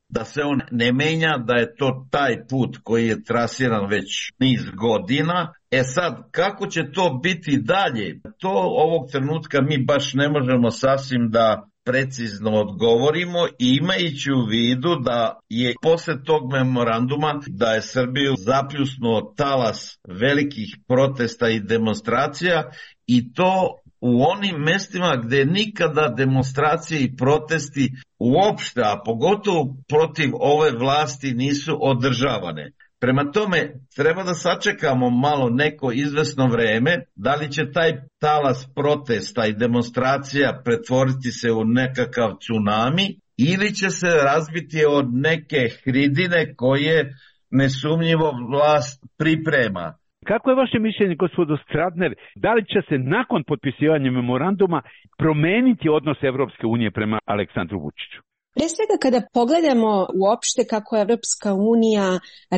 da se on ne menja, da je to taj put koji je trasiran već niz godina. Sad, kako će to biti dalje? To ovog trenutka mi baš ne možemo sasvim da precizno odgovorimo, imajući u vidu da je posle tog memoranduma da je Srbiju zapljusnuo talas velikih protesta i demonstracija, i to u onim mestima gde nikada demonstracije i protesti uopšte, a pogotovo protiv ove vlasti, nisu održavane. Prema tome, treba da sačekamo malo neko izvesno vreme, da li će taj talas protesta i demonstracija pretvoriti se u nekakav tsunami ili će se razbiti od neke hridine koje nesumnjivo vlast priprema. Kako je vaše mišljenje, gospodo Stradner, da li će se nakon potpisivanja memoranduma promeniti odnos Evropske unije prema Aleksandru Vučiću? Pre svega kada pogledamo uopšte kako Evropska unija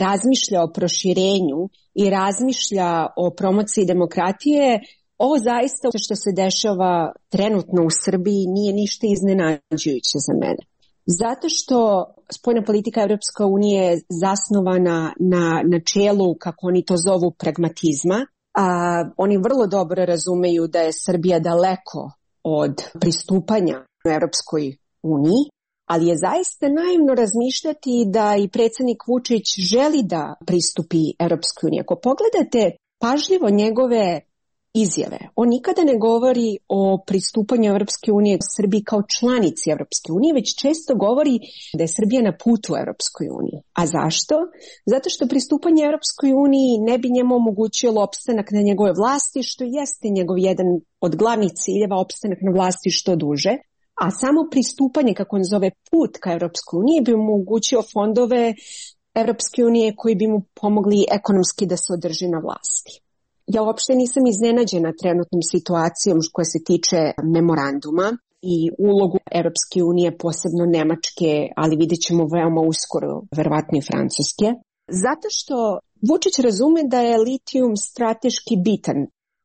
razmišlja o proširenju i razmišlja o promociji demokratije, ovo zaista što se dešava trenutno u Srbiji nije ništa iznenađujuće za mene. Zato što spoljna politika Evropske unije je zasnovana na načelu, kako oni to zovu, pragmatizma. Oni vrlo dobro razumeju da je Srbija daleko od pristupanja u Evropskoj uniji, ali je zaista naivno razmišljati da i predsjednik Vučić želi da pristupi Evropskoj uniji. Ako pogledate pažljivo njegove izjave. On nikada ne govori o pristupanju Europske unije Srbiji kao članici Europske unije, već često govori da je Srbija na putu Europskoj uniji. A zašto? Zato što pristupanje Europskoj uniji ne bi njemu omogućilo opstanak na njegove vlasti, što jeste njegov jedan od glavnih ciljeva, opstanak na vlasti što duže. A samo pristupanje, kako on zove, put ka Europskoj uniji bi omogućio fondove Europske unije koji bi mu pomogli ekonomski da se održi na vlasti. Ja uopšte nisam iznenađena trenutnom situacijom koja se tiče memoranduma i ulogu Europske unije, posebno Nemačke, ali vidjet ćemo veoma uskoro, verovatno i Francuske. Zato što Vučić razume da je litijum strateški bitan.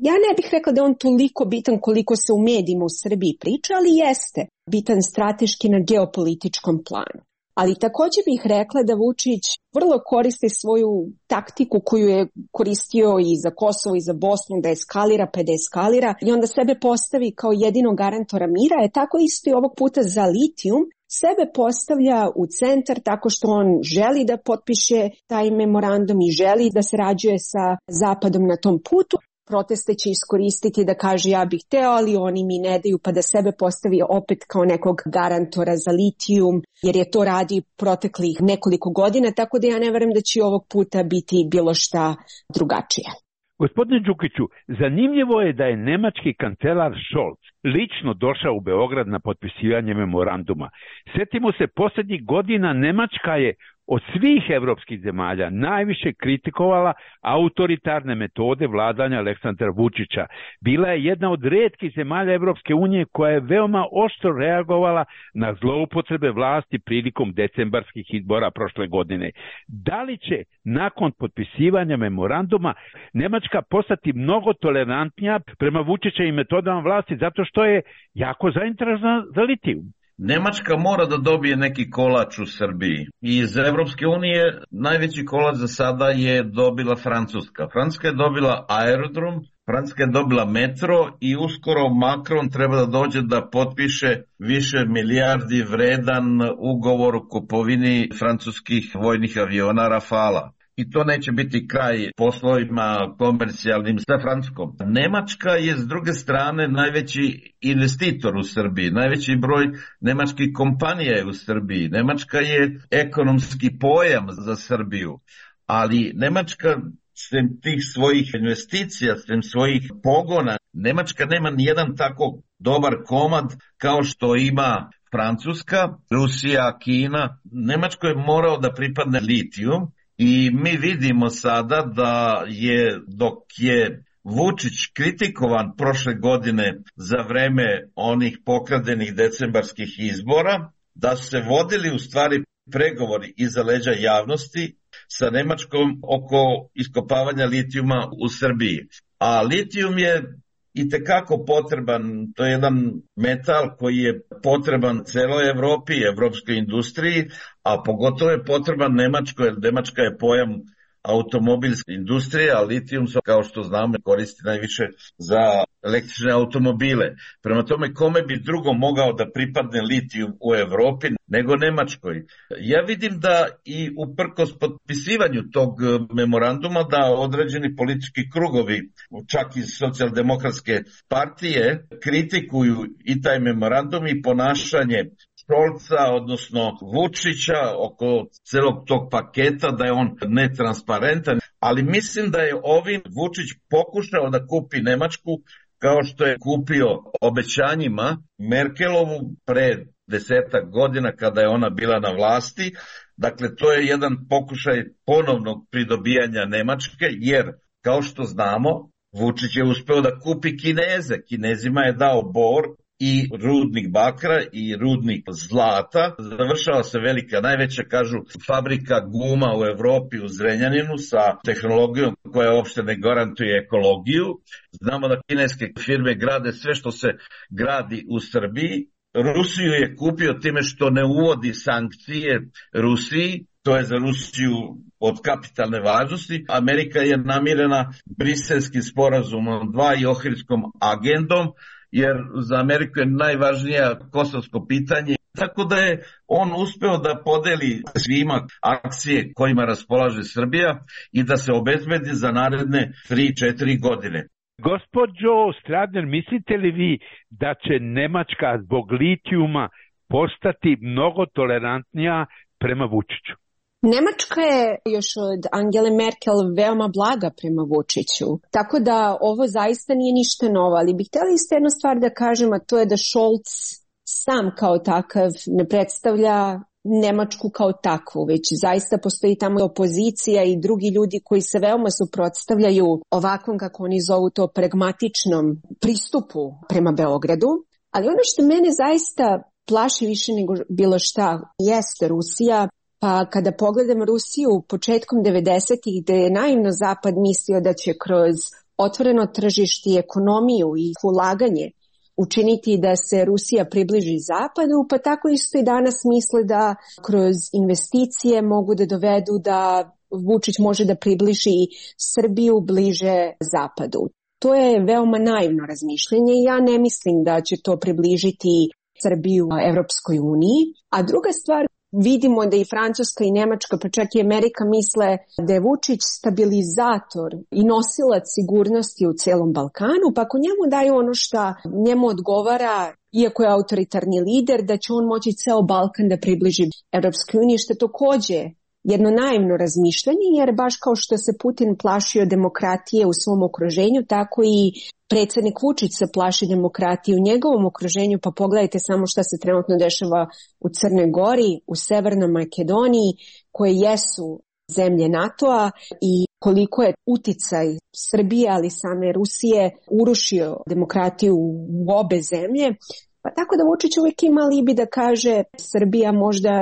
Ja ne bih rekla da je on toliko bitan koliko se u medijima u Srbiji priča, ali jeste bitan strateški na geopolitičkom planu. Ali također bih rekla da Vučić vrlo koristi svoju taktiku koju je koristio i za Kosovo i za Bosnu, da eskalira pa da eskalira i onda sebe postavi kao jedinog garantora mira, je tako isto i ovog puta za litijum. Sebe postavlja u centar tako što on želi da potpiše taj memorandum i želi da sarađuje sa Zapadom na tom putu. Proteste će iskoristiti da kaže ja bih hteo, ali oni mi ne daju, pa da sebe postavi opet kao nekog garantora za litijum, jer je to radi proteklih nekoliko godina, tako da ja ne verujem da će ovog puta biti bilo šta drugačije. Gospodine Đukiću, zanimljivo je da je nemački kancelar Scholz lično došao u Beograd na potpisivanje memoranduma. Sjetimo se, posljednjih godina Nemačka je od svih evropskih zemalja najviše kritikovala autoritarne metode vladanja Aleksandra Vučića. Bila je jedna od rijetkih zemalja Evropske unije koja je veoma oštro reagovala na zloupotrebe vlasti prilikom decembarskih izbora prošle godine. Da li će nakon potpisivanja memoranduma Nemačka postati mnogo tolerantnija prema Vučićevim metodama vlasti zato što je jako zainteresovana za litijum? Nemačka mora da dobije neki kolač u Srbiji. Iz Evropske unije najveći kolač za sada je dobila Francuska. Francuska je dobila aerodrom, Francuska je dobila metro i uskoro Macron treba da dođe da potpiše više milijardi vredan ugovor o kupovini francuskih vojnih aviona Rafala. I to neće biti kraj poslovima komercijalnim sa Francuskom. Nemačka je s druge strane najveći investitor u Srbiji, najveći broj nemačkih kompanija je u Srbiji. Nemačka je ekonomski pojam za Srbiju, ali Nemačka sem tih svojih investicija, sem svojih pogona, Nemačka nema nijedan tako dobar komad kao što ima Francuska, Rusija, Kina. Nemačko je morao da pripadne litijum. I mi vidimo sada da je, dok je Vučić kritikovan prošle godine za vreme onih pokradenih decembarskih izbora, da su se vodili u stvari pregovori iza leđa javnosti sa Nemačkom oko iskopavanja litijuma u Srbiji. A litijum je itekako potreban, to je jedan metal koji je potreban celoj Evropi, evropskoj industriji, a pogotovo je potreban Nemačkoj, jer Nemačka je pojam automobilske industrije, a litijum se, kao što znamo, koristi najviše za električne automobile. Prema tome, kome bi drugo mogao da pripadne litijum u Evropi nego Nemačkoj? Ja vidim da i uprkos potpisivanju tog memoranduma da određeni politički krugovi, čak iz socijaldemokratske partije, kritikuju i taj memorandum i ponašanje Scholza, odnosno Vučića, oko celog tog paketa, da je on netransparentan, ali mislim da je ovim Vučić pokušao da kupi Nemačku kao što je kupio obećanjima Merkelovu pre 10 godina kada je ona bila na vlasti. Dakle, to je jedan pokušaj ponovnog pridobijanja Nemačke, jer kao što znamo, Vučić je uspeo da kupi Kineze. Kinezima je dao bor i rudnik bakra i rudnik zlata. Završava se velika, najveća, kažu, fabrika guma u Evropi u Zrenjaninu sa tehnologijom koja uopšte ne garantuje ekologiju. Znamo da kineske firme grade sve što se gradi u Srbiji. Rusiju je kupio time što ne uvodi sankcije Rusiji. To je za Rusiju od kapitalne važnosti. Amerika je namirena Briselskim sporazumom 2 i Ohridskom agendom, jer za Ameriku je najvažnija kosovsko pitanje. Tako da je on uspeo da podeli svima akcije kojima raspolaže Srbija i da se obezbedi za naredne 3-4 godine. Gospođo Stradner, mislite li vi da će Nemačka zbog litijuma postati mnogo tolerantnija prema Vučiću? Nemačka je još od Angele Merkel veoma blaga prema Vučiću, tako da ovo zaista nije ništa novo, ali bih htjela isto jednu stvar da kažem, a to je da Scholz sam kao takav ne predstavlja Nemačku kao takvu, već zaista postoji tamo opozicija i drugi ljudi koji se veoma suprotstavljaju ovakvom, kako oni zovu to, pragmatičnom pristupu prema Beogradu. Ali ono što mene zaista plaši više nego bilo šta jeste Rusija. Pa kada pogledam Rusiju početkom 90-ih, gde je naivno Zapad mislio da će kroz otvoreno tržište i ekonomiju i ulaganje učiniti da se Rusija približi Zapadu, pa tako isto i danas misle da kroz investicije mogu da dovedu da Vučić može da približi Srbiju bliže Zapadu. To je veoma naivno razmišljanje i ja ne mislim da će to približiti Srbiju Evropskoj uniji. A druga stvar, vidimo da i Francuska i Nemačka, pa čak i Amerika misle da je Vučić stabilizator i nosilac sigurnosti u celom Balkanu, pa ako njemu daju ono što njemu odgovara, iako je autoritarni lider, da će on moći ceo Balkan da približi Evropskoj uniji, što je takođe jedno naivno razmišljanje, jer baš kao što se Putin plašio demokratije u svom okruženju, tako i predsjednik Vučić se plaši demokratije u njegovom okruženju, pa pogledajte samo šta se trenutno dešava u Crnoj Gori, u Severnoj Makedoniji, koje jesu zemlje NATO-a i koliko je uticaj Srbije, ali same Rusije, urušio demokratiju u obe zemlje. Pa tako da Vučić uvijek ima alibi da kaže Srbija možda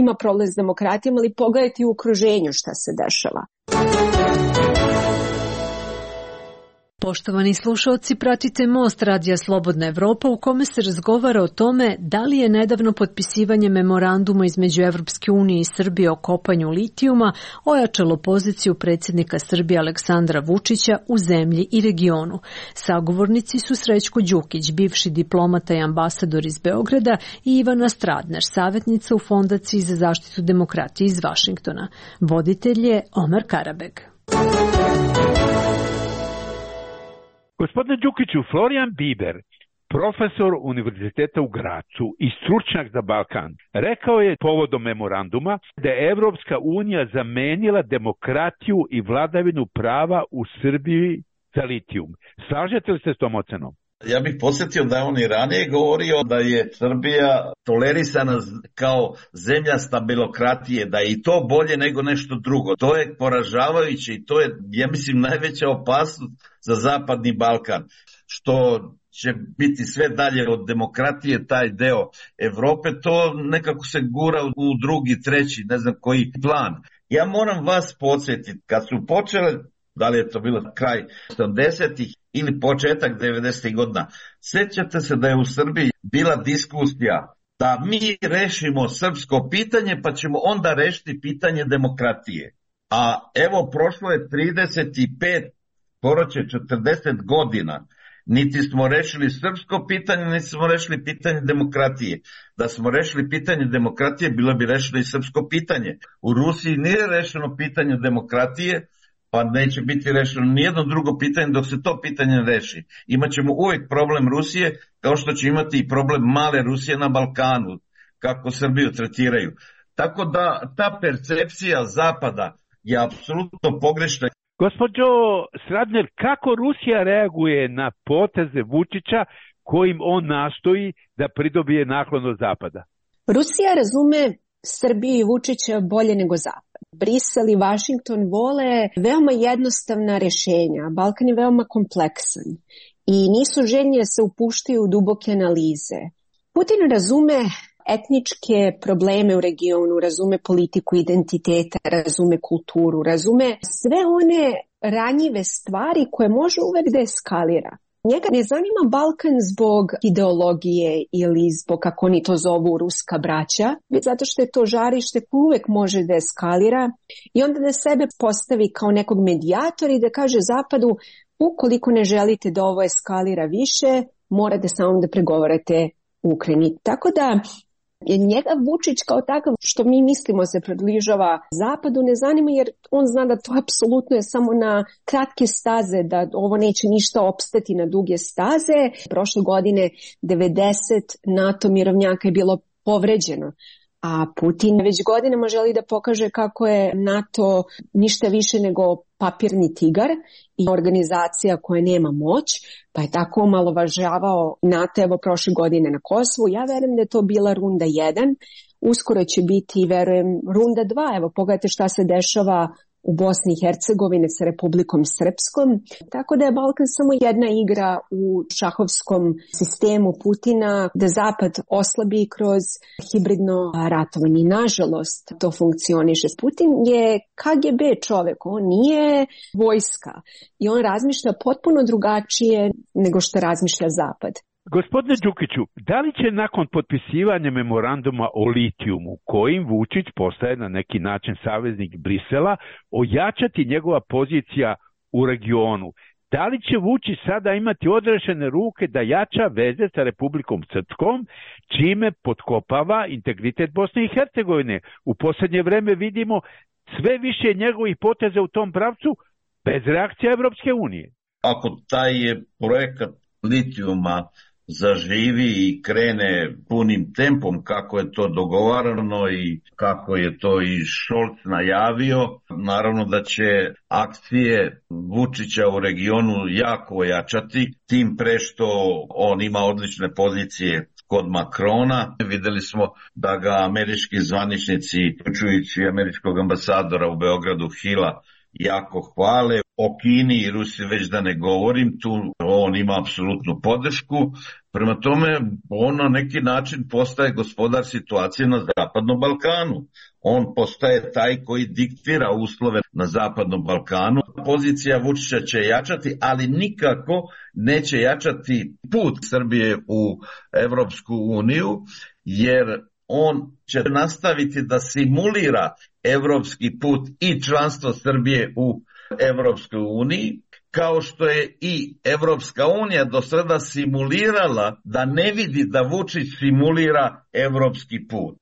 ima problem s demokratijom, ali pogledajte u okruženju šta se dešava. Poštovani slušalci, pratite Most Radija Slobodna Evropa u kome se razgovara o tome da li je nedavno potpisivanje memoranduma između Evropske unije i Srbije o kopanju litijuma ojačalo poziciju predsjednika Srbije Aleksandra Vučića u zemlji i regionu. Sagovornici su Srećko Đukić, bivši diplomata i ambasador iz Beograda, i Ivana Stradner, savjetnica u Fondaciji za zaštitu demokratije iz Vašingtona. Voditelj je Omer Karabeg. Gospodine Đukiću, Florian Biber, profesor Univerziteta u Gracu i stručnjak za Balkan, rekao je povodom memoranduma da je Evropska unija zamenila demokratiju i vladavinu prava u Srbiji za litijum. Slažete li se s tom ocenom? Ja bih podsjetio da je on i ranije govorio da je Srbija tolerisana kao zemlja stabilokratije, da je i to bolje nego nešto drugo. To je poražavajuće i to je, ja mislim, najveća opasnost za Zapadni Balkan, što će biti sve dalje od demokratije, taj deo Evrope, to nekako se gura u drugi, treći, ne znam koji plan. Ja moram vas podsjetiti, kad su počele, da li je to bilo kraj 80-ih ili početak 90-ih godina, sjećate se da je u Srbiji bila diskusija da mi rešimo srpsko pitanje pa ćemo onda rešiti pitanje demokratije. A evo, prošlo je 35, skoro će 40 godina, niti smo rešili srpsko pitanje, niti smo rešili pitanje demokratije. Da smo rešili pitanje demokratije, bilo bi rešeno i srpsko pitanje. U Rusiji nije rešeno pitanje demokratije, pa neće biti rešeno nijedno drugo pitanje dok se to pitanje reši. Imaćemo uvijek problem Rusije, kao što će imati i problem male Rusije na Balkanu, kako Srbiju tretiraju. Tako da ta percepcija Zapada je apsolutno pogrešna. Gospođo Stradner, kako Rusija reaguje na poteze Vučića kojim on nastoji da pridobije naklon od Zapada? Rusija razume Srbiju i Vučića bolje nego Zapad. Brisel i Vašington vole veoma jednostavna rešenja. Balkan je veoma kompleksan i nisu željni da se upuštaju u duboke analize. Putin razume etničke probleme u regionu, razume politiku identiteta, razume kulturu, razume sve one ranjive stvari koje može uvek da eskalira. Njega ne zanima Balkan zbog ideologije ili zbog, kako oni to zovu, ruska braća, već zato što je to žarište koje uvek može da eskalira i onda da sebe postavi kao nekog medijatora i da kaže Zapadu, ukoliko ne želite da ovo eskalira više, morate samo da pregovarate u Ukrajini. Tako da Njega Vučić kao takav, što mi mislimo se približava zapadu, ne zanima jer on zna da to apsolutno je samo na kratke staze, da ovo neće ništa opstati na duge staze. Prošle godine 90 NATO mirovnjaka je bilo povređeno. A Putin već godinama želi da pokaže kako je NATO ništa više nego papirni tigar i organizacija koja nema moć, pa je tako omalovažavao NATO evo prošle godine na Kosovu. Ja verujem da je to bila runda 1, uskoro će biti, verujem, runda 2. Evo pogledajte šta se dešava u Bosni i Hercegovini sa Republikom Srpskom. Tako da je Balkan samo jedna igra u šahovskom sistemu Putina, da Zapad oslabi kroz hibridno ratovanje. Nažalost, to funkcioniše. Putin je KGB čovek, on nije vojska i on razmišlja potpuno drugačije nego što razmišlja Zapad. Gospodine Đukiću, da li će nakon potpisivanja memoranduma o litijumu, kojim Vučić postaje na neki način saveznik Brisela, ojačati njegova pozicija u regionu? Da li će Vučić sada imati odrešene ruke da jača veze sa Republikom Srpskom, čime potkopava integritet Bosne i Hercegovine? U posljednje vreme vidimo sve više njegovih poteza u tom pravcu bez reakcije Evropske unije. Ako taj projekat litijuma zaživi i krene punim tempom kako je to dogovarano i kako je to i Scholz najavio, naravno da će akcije Vučića u regionu jako ojačati, tim pre što on ima odlične pozicije kod Makrona. Videli smo da ga američki zvaničnici, uključujući američkog ambasadora u Beogradu Hila, jako hvale. O Kini i Rusiji već da ne govorim, tu on ima apsolutnu podršku. Prema tome, on na neki način postaje gospodar situacije na Zapadnom Balkanu. On postaje taj koji diktira uslove na Zapadnom Balkanu. Pozicija Vučića će jačati, ali nikako neće jačati put Srbije u Evropsku uniju, jer on će nastaviti da simulira evropski put i članstvo Srbije u Evropskoj uniji, kao što je i Evropska unija do sada simulirala da ne vidi da Vučić simulira evropski put.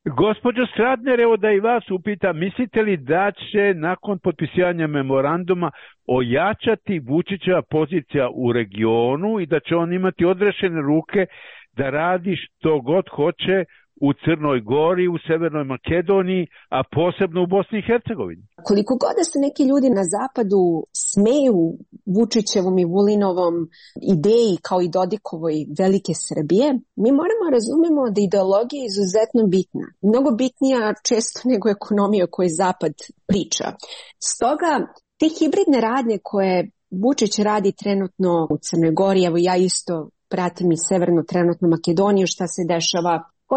Gospođo Stradner, evo da i vas upitam, mislite li da će nakon potpisivanja memoranduma ojačati Vučićeva pozicija u regionu i da će on imati odrešene ruke da radi što god hoće u Crnoj Gori, u Severnoj Makedoniji, a posebno u Bosni i Hercegovini? Koliko god da se neki ljudi na zapadu smeju Vučićevom i Vulinovom ideji kao i Dodikovoj velike Srbije, mi moramo razumemo da ideologija je izuzetno bitna. Mnogo bitnija često nego ekonomija o kojoj Zapad priča. Stoga, te hibridne radnje koje Vučić radi trenutno u Crnoj Gori, evo ja isto pratim i Severnu trenutno Makedoniju, šta se dešava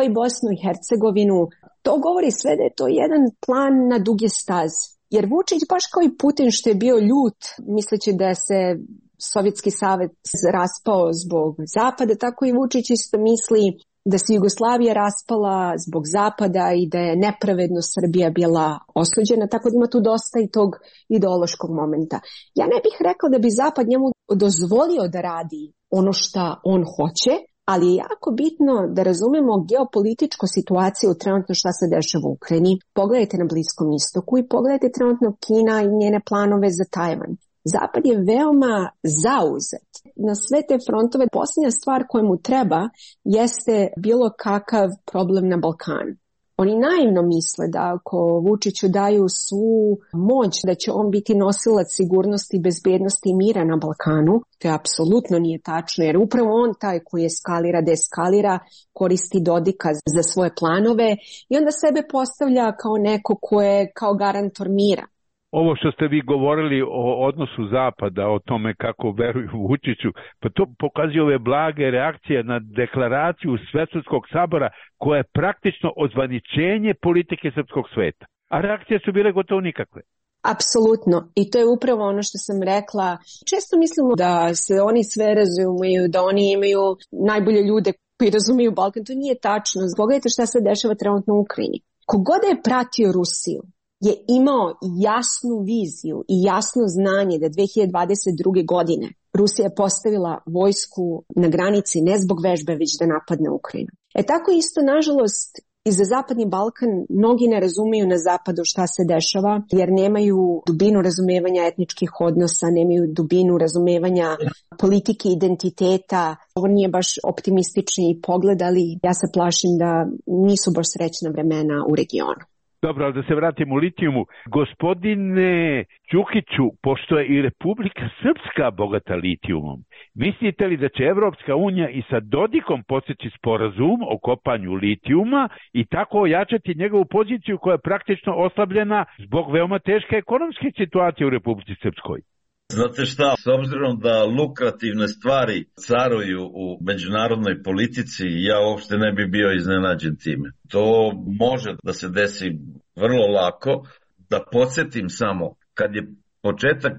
i Bosnu i Hercegovinu, to govori sve da je to jedan plan na duge staze. Jer Vučić, baš kao i Putin što je bio ljut, misleći da se Sovjetski savez raspao zbog Zapada, tako i Vučić isto misli da se Jugoslavija raspala zbog Zapada i da je nepravedno Srbija bila osuđena, tako da ima tu dosta i tog ideološkog momenta. Ja ne bih rekla da bi Zapad njemu dozvolio da radi ono šta on hoće, ali je jako bitno da razumemo geopolitičku situaciju trenutno šta se dešava u Ukrajini. Pogledajte na Bliskom istoku i pogledajte trenutno Kina i njene planove za Tajvan. Zapad je veoma zauzet na sve te frontove. Posljednja stvar koja mu treba jeste bilo kakav problem na Balkanu. Oni naivno misle da ako Vučiću daju svu moć da će on biti nosilac sigurnosti, bezbednosti i mira na Balkanu, to apsolutno nije tačno, jer upravo on taj koji eskalira, deeskalira, koristi Dodika za svoje planove i onda sebe postavlja kao neko ko je kao garantor mira. Ovo što ste vi govorili o odnosu Zapada, o tome kako veruju Vučiću, pa to pokazuje ove blage reakcije na deklaraciju Svesrpskog sabora koja je praktično ozvaničenje politike srpskog sveta. A reakcije su bile gotovo nikakve. Apsolutno. I to je upravo ono što sam rekla. Često mislimo da se oni sve razumiju, da oni imaju najbolje ljude koji razumiju Balkan. To nije tačno. Pogledajte šta se dešava trenutno u Ukrajini. Kogod je pratio Rusiju je imao jasnu viziju i jasno znanje da 2022. godine Rusija je postavila vojsku na granici ne zbog vežbe, već da napadne Ukrajinu. Tako isto, nažalost, i za Zapadni Balkan mnogi ne razumeju na zapadu šta se dešava, jer nemaju dubinu razumevanja etničkih odnosa, nemaju dubinu razumevanja politike identiteta. Ovo nije baš optimistični pogled, ali ja se plašim da nisu baš srećna vremena u regionu. Dobro, ali da se vratimo u litijumu. Gospodine Đukiću, pošto je i Republika Srpska bogata litijumom, mislite li da će Evropska unija i sa Dodikom postići sporazum o kopanju litijuma i tako ojačati njegovu poziciju koja je praktično oslabljena zbog veoma teške ekonomske situacije u Republici Srpskoj? Znate šta, s obzirom da lukrativne stvari caruju u međunarodnoj politici, ja uopšte ne bi bio iznenađen time. To može da se desi vrlo lako. Da podsjetim samo, kad je početak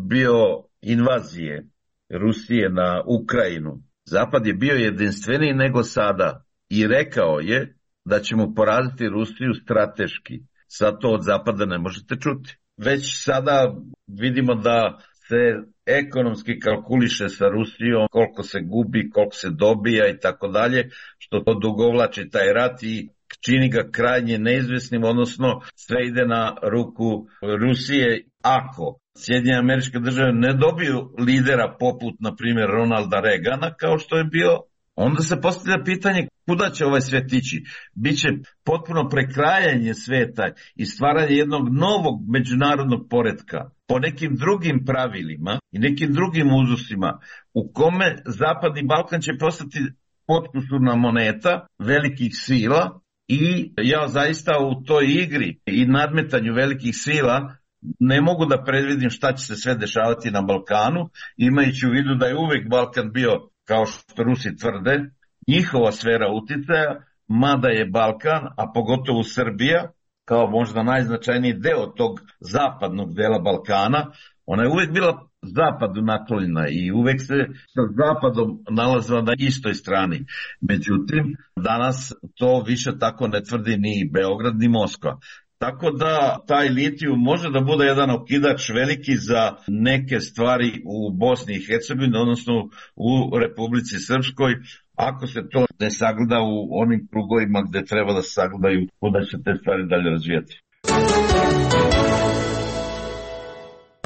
bio invazije Rusije na Ukrajinu, Zapad je bio jedinstveniji nego sada i rekao je da ćemo poraziti Rusiju strateški. Sad to od Zapada ne možete čuti. Već sada vidimo da se ekonomski kalkuliše sa Rusijom, koliko se gubi, koliko se dobija i tako dalje, što to dugovlači taj rat i čini ga krajnje neizvesnim, odnosno sve ide na ruku Rusije. Ako Sjedinjene Američke Države ne dobiju lidera poput, na primjer, Ronalda Reagana, kao što je bio, onda se postavlja pitanje kuda će ovaj svet ići. Biće potpuno prekrajanje sveta i stvaranje jednog novog međunarodnog poretka po nekim drugim pravilima i nekim drugim uzusima, u kome Zapadni Balkan će postati potkusurna moneta velikih sila i ja zaista u toj igri i nadmetanju velikih sila ne mogu da predvidim šta će se sve dešavati na Balkanu, imajući u vidu da je uvek Balkan bio, kao što Rusi tvrde, njihova sfera uticaja, mada je Balkan, a pogotovo Srbija, kao možda najznačajniji deo tog zapadnog dela Balkana, ona je uvek bila zapadu naklonjena i uvek se sa zapadom nalazila na istoj strani. Međutim, danas to više tako ne tvrdi ni Beograd ni Moskva. Tako da taj litijum može da bude jedan okidač veliki za neke stvari u Bosni i Hercegovini, odnosno u Republici Srpskoj, ako se to ne sagleda u onim krugovima gde treba da se sagledaju, kuda će te stvari dalje razvijati.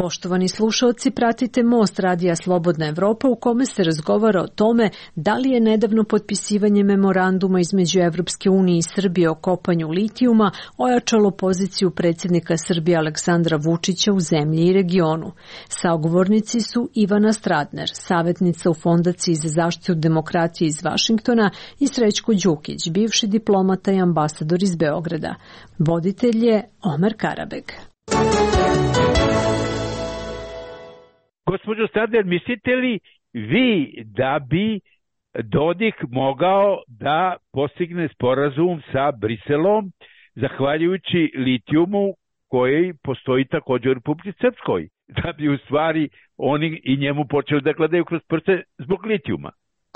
Poštovani slušalci, pratite Most radija Slobodna Evropa u kome se razgovara o tome da li je nedavno potpisivanje memoranduma između Evropske unije i Srbije o kopanju litijuma ojačalo poziciju predsjednika Srbije Aleksandra Vučića u zemlji i regionu. Sagovornici su Ivana Stratner, savjetnica u Fondaciji za zaštitu demokratije iz Vašingtona, i Srećko Đukić, bivši diplomata i ambasador iz Beograda. Voditelj je Omer Karabeg. Gospođo Stratner, mislite li vi da bi Dodik mogao da postigne sporazum sa Briselom zahvaljujući litijumu koji postoji također u Republici Srpskoj, da bi u stvari oni i njemu počeli da gledaju kroz prste zbog litijuma?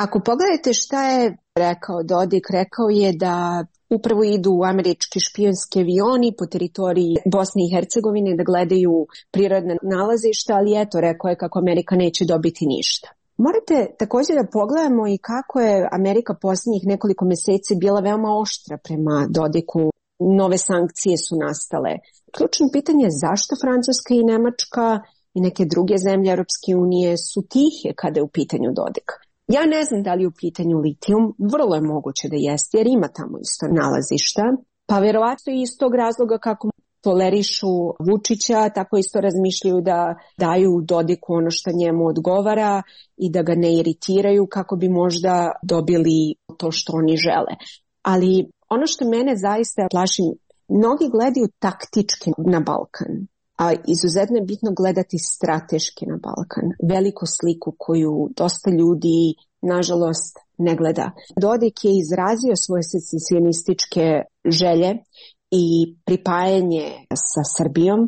Ako pogledate šta je rekao Dodik, rekao je da upravo idu američki špijunski avioni po teritoriji Bosne i Hercegovine da gledaju prirodne nalazišta, ali eto, rekao je kako Amerika neće dobiti ništa. Morate također da pogledamo i kako je Amerika posljednjih nekoliko mjeseci bila veoma oštra prema Dodiku. Nove sankcije su nastale. Ključno pitanje je zašto Francuska i Nemačka i neke druge zemlje Europske unije su tihe kada je u pitanju Dodik. Ja ne znam da li je u pitanju litijum, vrlo je moguće da jeste, jer ima tamo isto nalazišta, pa vjerovatno iz tog razloga kako tolerišu Vučića, tako isto razmišljaju da daju Dodiku ono što njemu odgovara i da ga ne iritiraju kako bi možda dobili to što oni žele. Ali ono što mene zaista plaši, mnogi gledaju taktički na Balkan. A izuzetno je bitno gledati strateški na Balkan, veliku sliku koju dosta ljudi, nažalost, ne gleda. Dodik je izrazio svoje secesionističke želje i pripajanje sa Srbijom,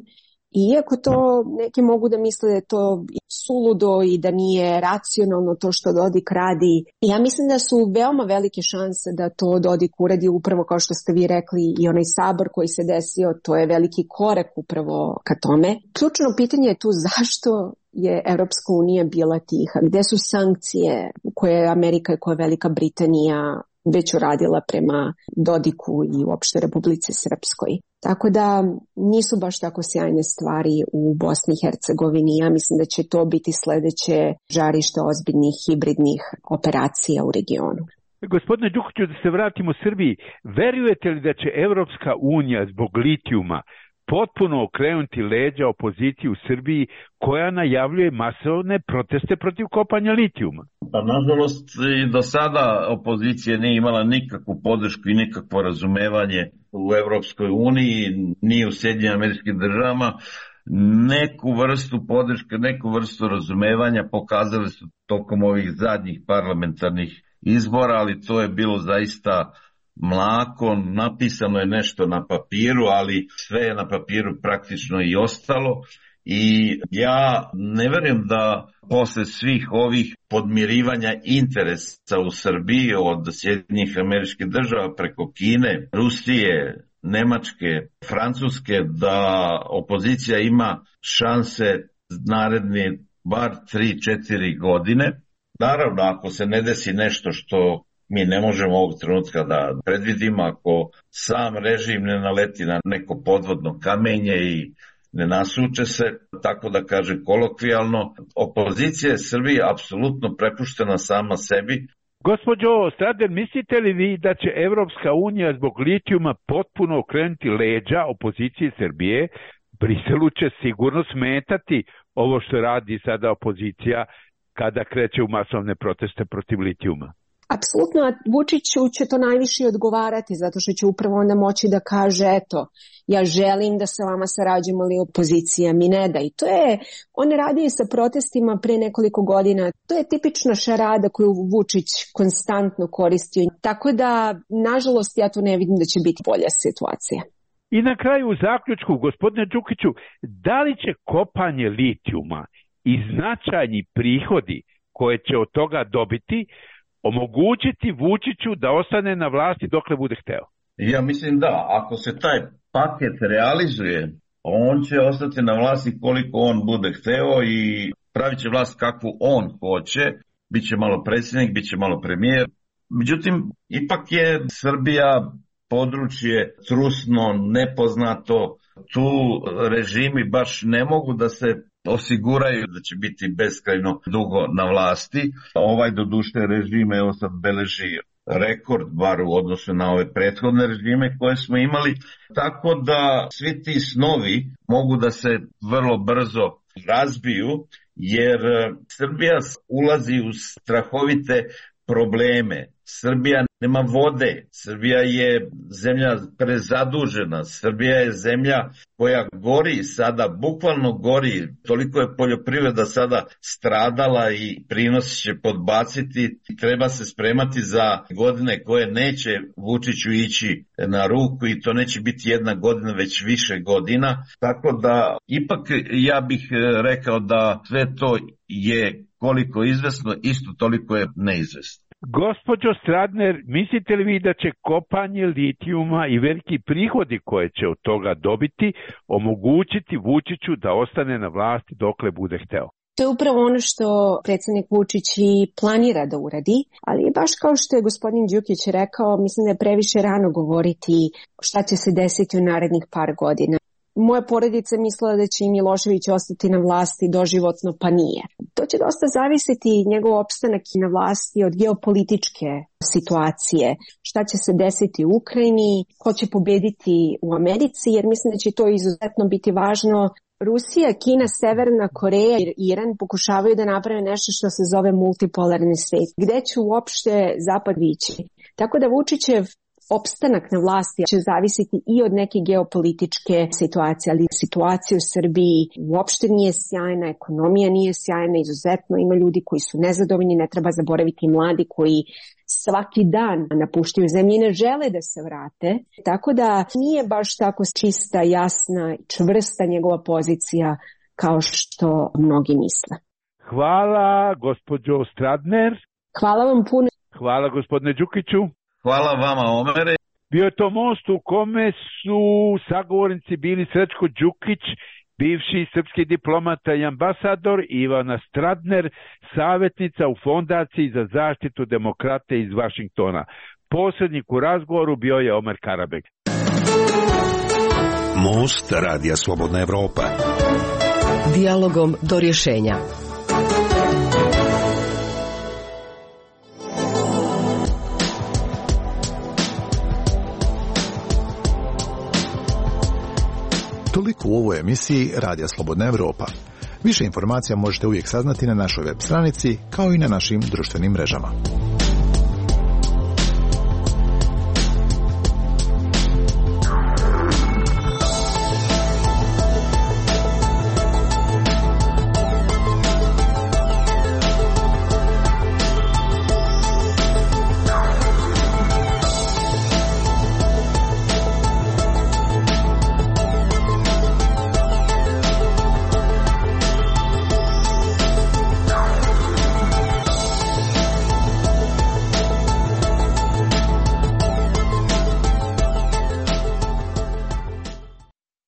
iako to neki mogu da misle da je to suludo i da nije racionalno to što Dodik radi. Ja mislim da su veoma velike šanse da to Dodik uradi upravo kao što ste vi rekli i onaj sabor koji se desio, to je veliki korak upravo ka tome. Ključno pitanje je tu zašto je Evropska unija bila tiha, gde su sankcije koje je Amerika i koja je Velika Britanija već uradila prema Dodiku i uopšte Republici Srpskoj. Tako da nisu baš tako sjajne stvari u Bosni i Hercegovini. Ja mislim da će to biti sledeće žarište ozbiljnih hibridnih operacija u regionu. Gospodine Đukiću, da se vratimo Srbiji, verujete li da će Evropska unija zbog litijuma potpuno okrenuti leđa opoziciji u Srbiji koja najavljuje masovne proteste protiv kopanja litijuma? Pa nažalost i do sada opozicija nije imala nikakvu podršku i nikakvo razumevanje u Evropskoj uniji, ni u Sjedinjenim Američkim Državama. Neku vrstu podrške, neku vrstu razumevanja pokazali su tokom ovih zadnjih parlamentarnih izbora, ali to je bilo zaista mlako, napisano je nešto na papiru, ali sve je na papiru praktično i ostalo. I ja ne verujem da posle svih ovih podmirivanja interesa u Srbiji od Sjedinjenih Američkih Država preko Kine, Rusije, Nemačke, Francuske, da opozicija ima šanse naredni bar 3-4 godine. Naravno, ako se ne desi nešto što mi ne možemo ovog trenutka da predvidimo, ako sam režim ne naleti na neko podvodno kamenje i ne nasuče se, tako da kažem kolokvijalno, opozicija je Srbije apsolutno prepuštena sama sebi. Gospođo Stradner, mislite li vi da će Evropska unija zbog litijuma potpuno okrenuti leđa opozicije Srbije? Briselu će sigurno smetati ovo što radi sada opozicija kada kreće u masovne proteste protiv litijuma. Apsolutno, Vučiću će to najviše odgovarati, zato što će upravo onda moći da kaže, eto, ja želim da sa vama sarađujemo, ali opozicija mi ne da. I to je, on radi sa protestima pre nekoliko godina, to je tipična šarada koju Vučić konstantno koristio. Tako da, nažalost, ja to ne vidim da će biti bolja situacija. I na kraju u zaključku, gospodine Đukiću, da li će kopanje litijuma i značajni prihodi koje će od toga dobiti omogućiti Vučiću da ostane na vlasti dokle bude hteo? Ja mislim da, ako se taj paket realizuje, on će ostati na vlasti koliko on bude hteo i pravit će vlast kakvu on hoće, biće malo predsjednik, biće malo premijer. Međutim, ipak je Srbija područje trusno, nepoznato, tu režimi baš ne mogu da se osiguraju da će biti beskrajno dugo na vlasti. Ovaj doduše režime, evo sad beleži rekord, bar u odnosu na ove prethodne režime koje smo imali, tako da svi ti snovi mogu da se vrlo brzo razbiju, jer Srbija ulazi u strahovite probleme. Srbija nema vode, Srbija je zemlja prezadužena, Srbija je zemlja koja gori sada, bukvalno gori, toliko je poljoprivreda sada stradala i prinosi će podbaciti, treba se spremati za godine koje neće Vučiću ići na ruku i to neće biti jedna godina, već više godina, tako da ipak ja bih rekao da sve to je koliko izvesno, isto toliko je neizvesno. Gospođo Stradner, mislite li vi da će kopanje litijuma i veliki prihodi koje će od toga dobiti omogućiti Vučiću da ostane na vlasti dokle bude hteo? To je upravo ono što predsjednik Vučić i planira da uradi, ali baš kao što je gospodin Đukić rekao, mislim da je previše rano govoriti šta će se desiti u narednih par godina. Moja porodica mislila da će i Milošević ostati na vlasti doživotno, pa nije. To će dosta zavisiti njegov opstanak na vlasti od geopolitičke situacije. Šta će se desiti u Ukrajini, ko će pobediti u Americi, jer mislim da će to izuzetno biti važno. Rusija, Kina, Severna Koreja i Iran pokušavaju da naprave nešto što se zove multipolarni svet. Gde će uopšte Zapad vići? Tako da Vučićev opstanak na vlasti će zavisiti i od neke geopolitičke situacije, ali situacija u Srbiji uopšte nije sjajna, ekonomija nije sjajna, izuzetno ima ljudi koji su nezadovoljni, ne treba zaboraviti mladi koji svaki dan napuštaju zemlju i ne žele da se vrate, tako da nije baš tako čista, jasna, čvrsta njegova pozicija kao što mnogi misle. Hvala, gospođo Stradner. Hvala vam puno. Hvala, gospodine Đukiću. Hvala vama, Omere. Bio je to most u kome su sagovornici bili Srećko Đukić, bivši srpski diplomata i ambasador, i Ivana Stradner, savjetnica u Fondaciji za zaštitu demokrate iz Vašingtona. Posrednik u razgovoru bio je Omer Karabek. Most Radija Slobodna Evropa. Dijalogom do rješenja. Toliko u ovoj emisiji Radija Slobodna Evropa. Više informacija možete uvijek saznati na našoj web stranici kao i na našim društvenim mrežama.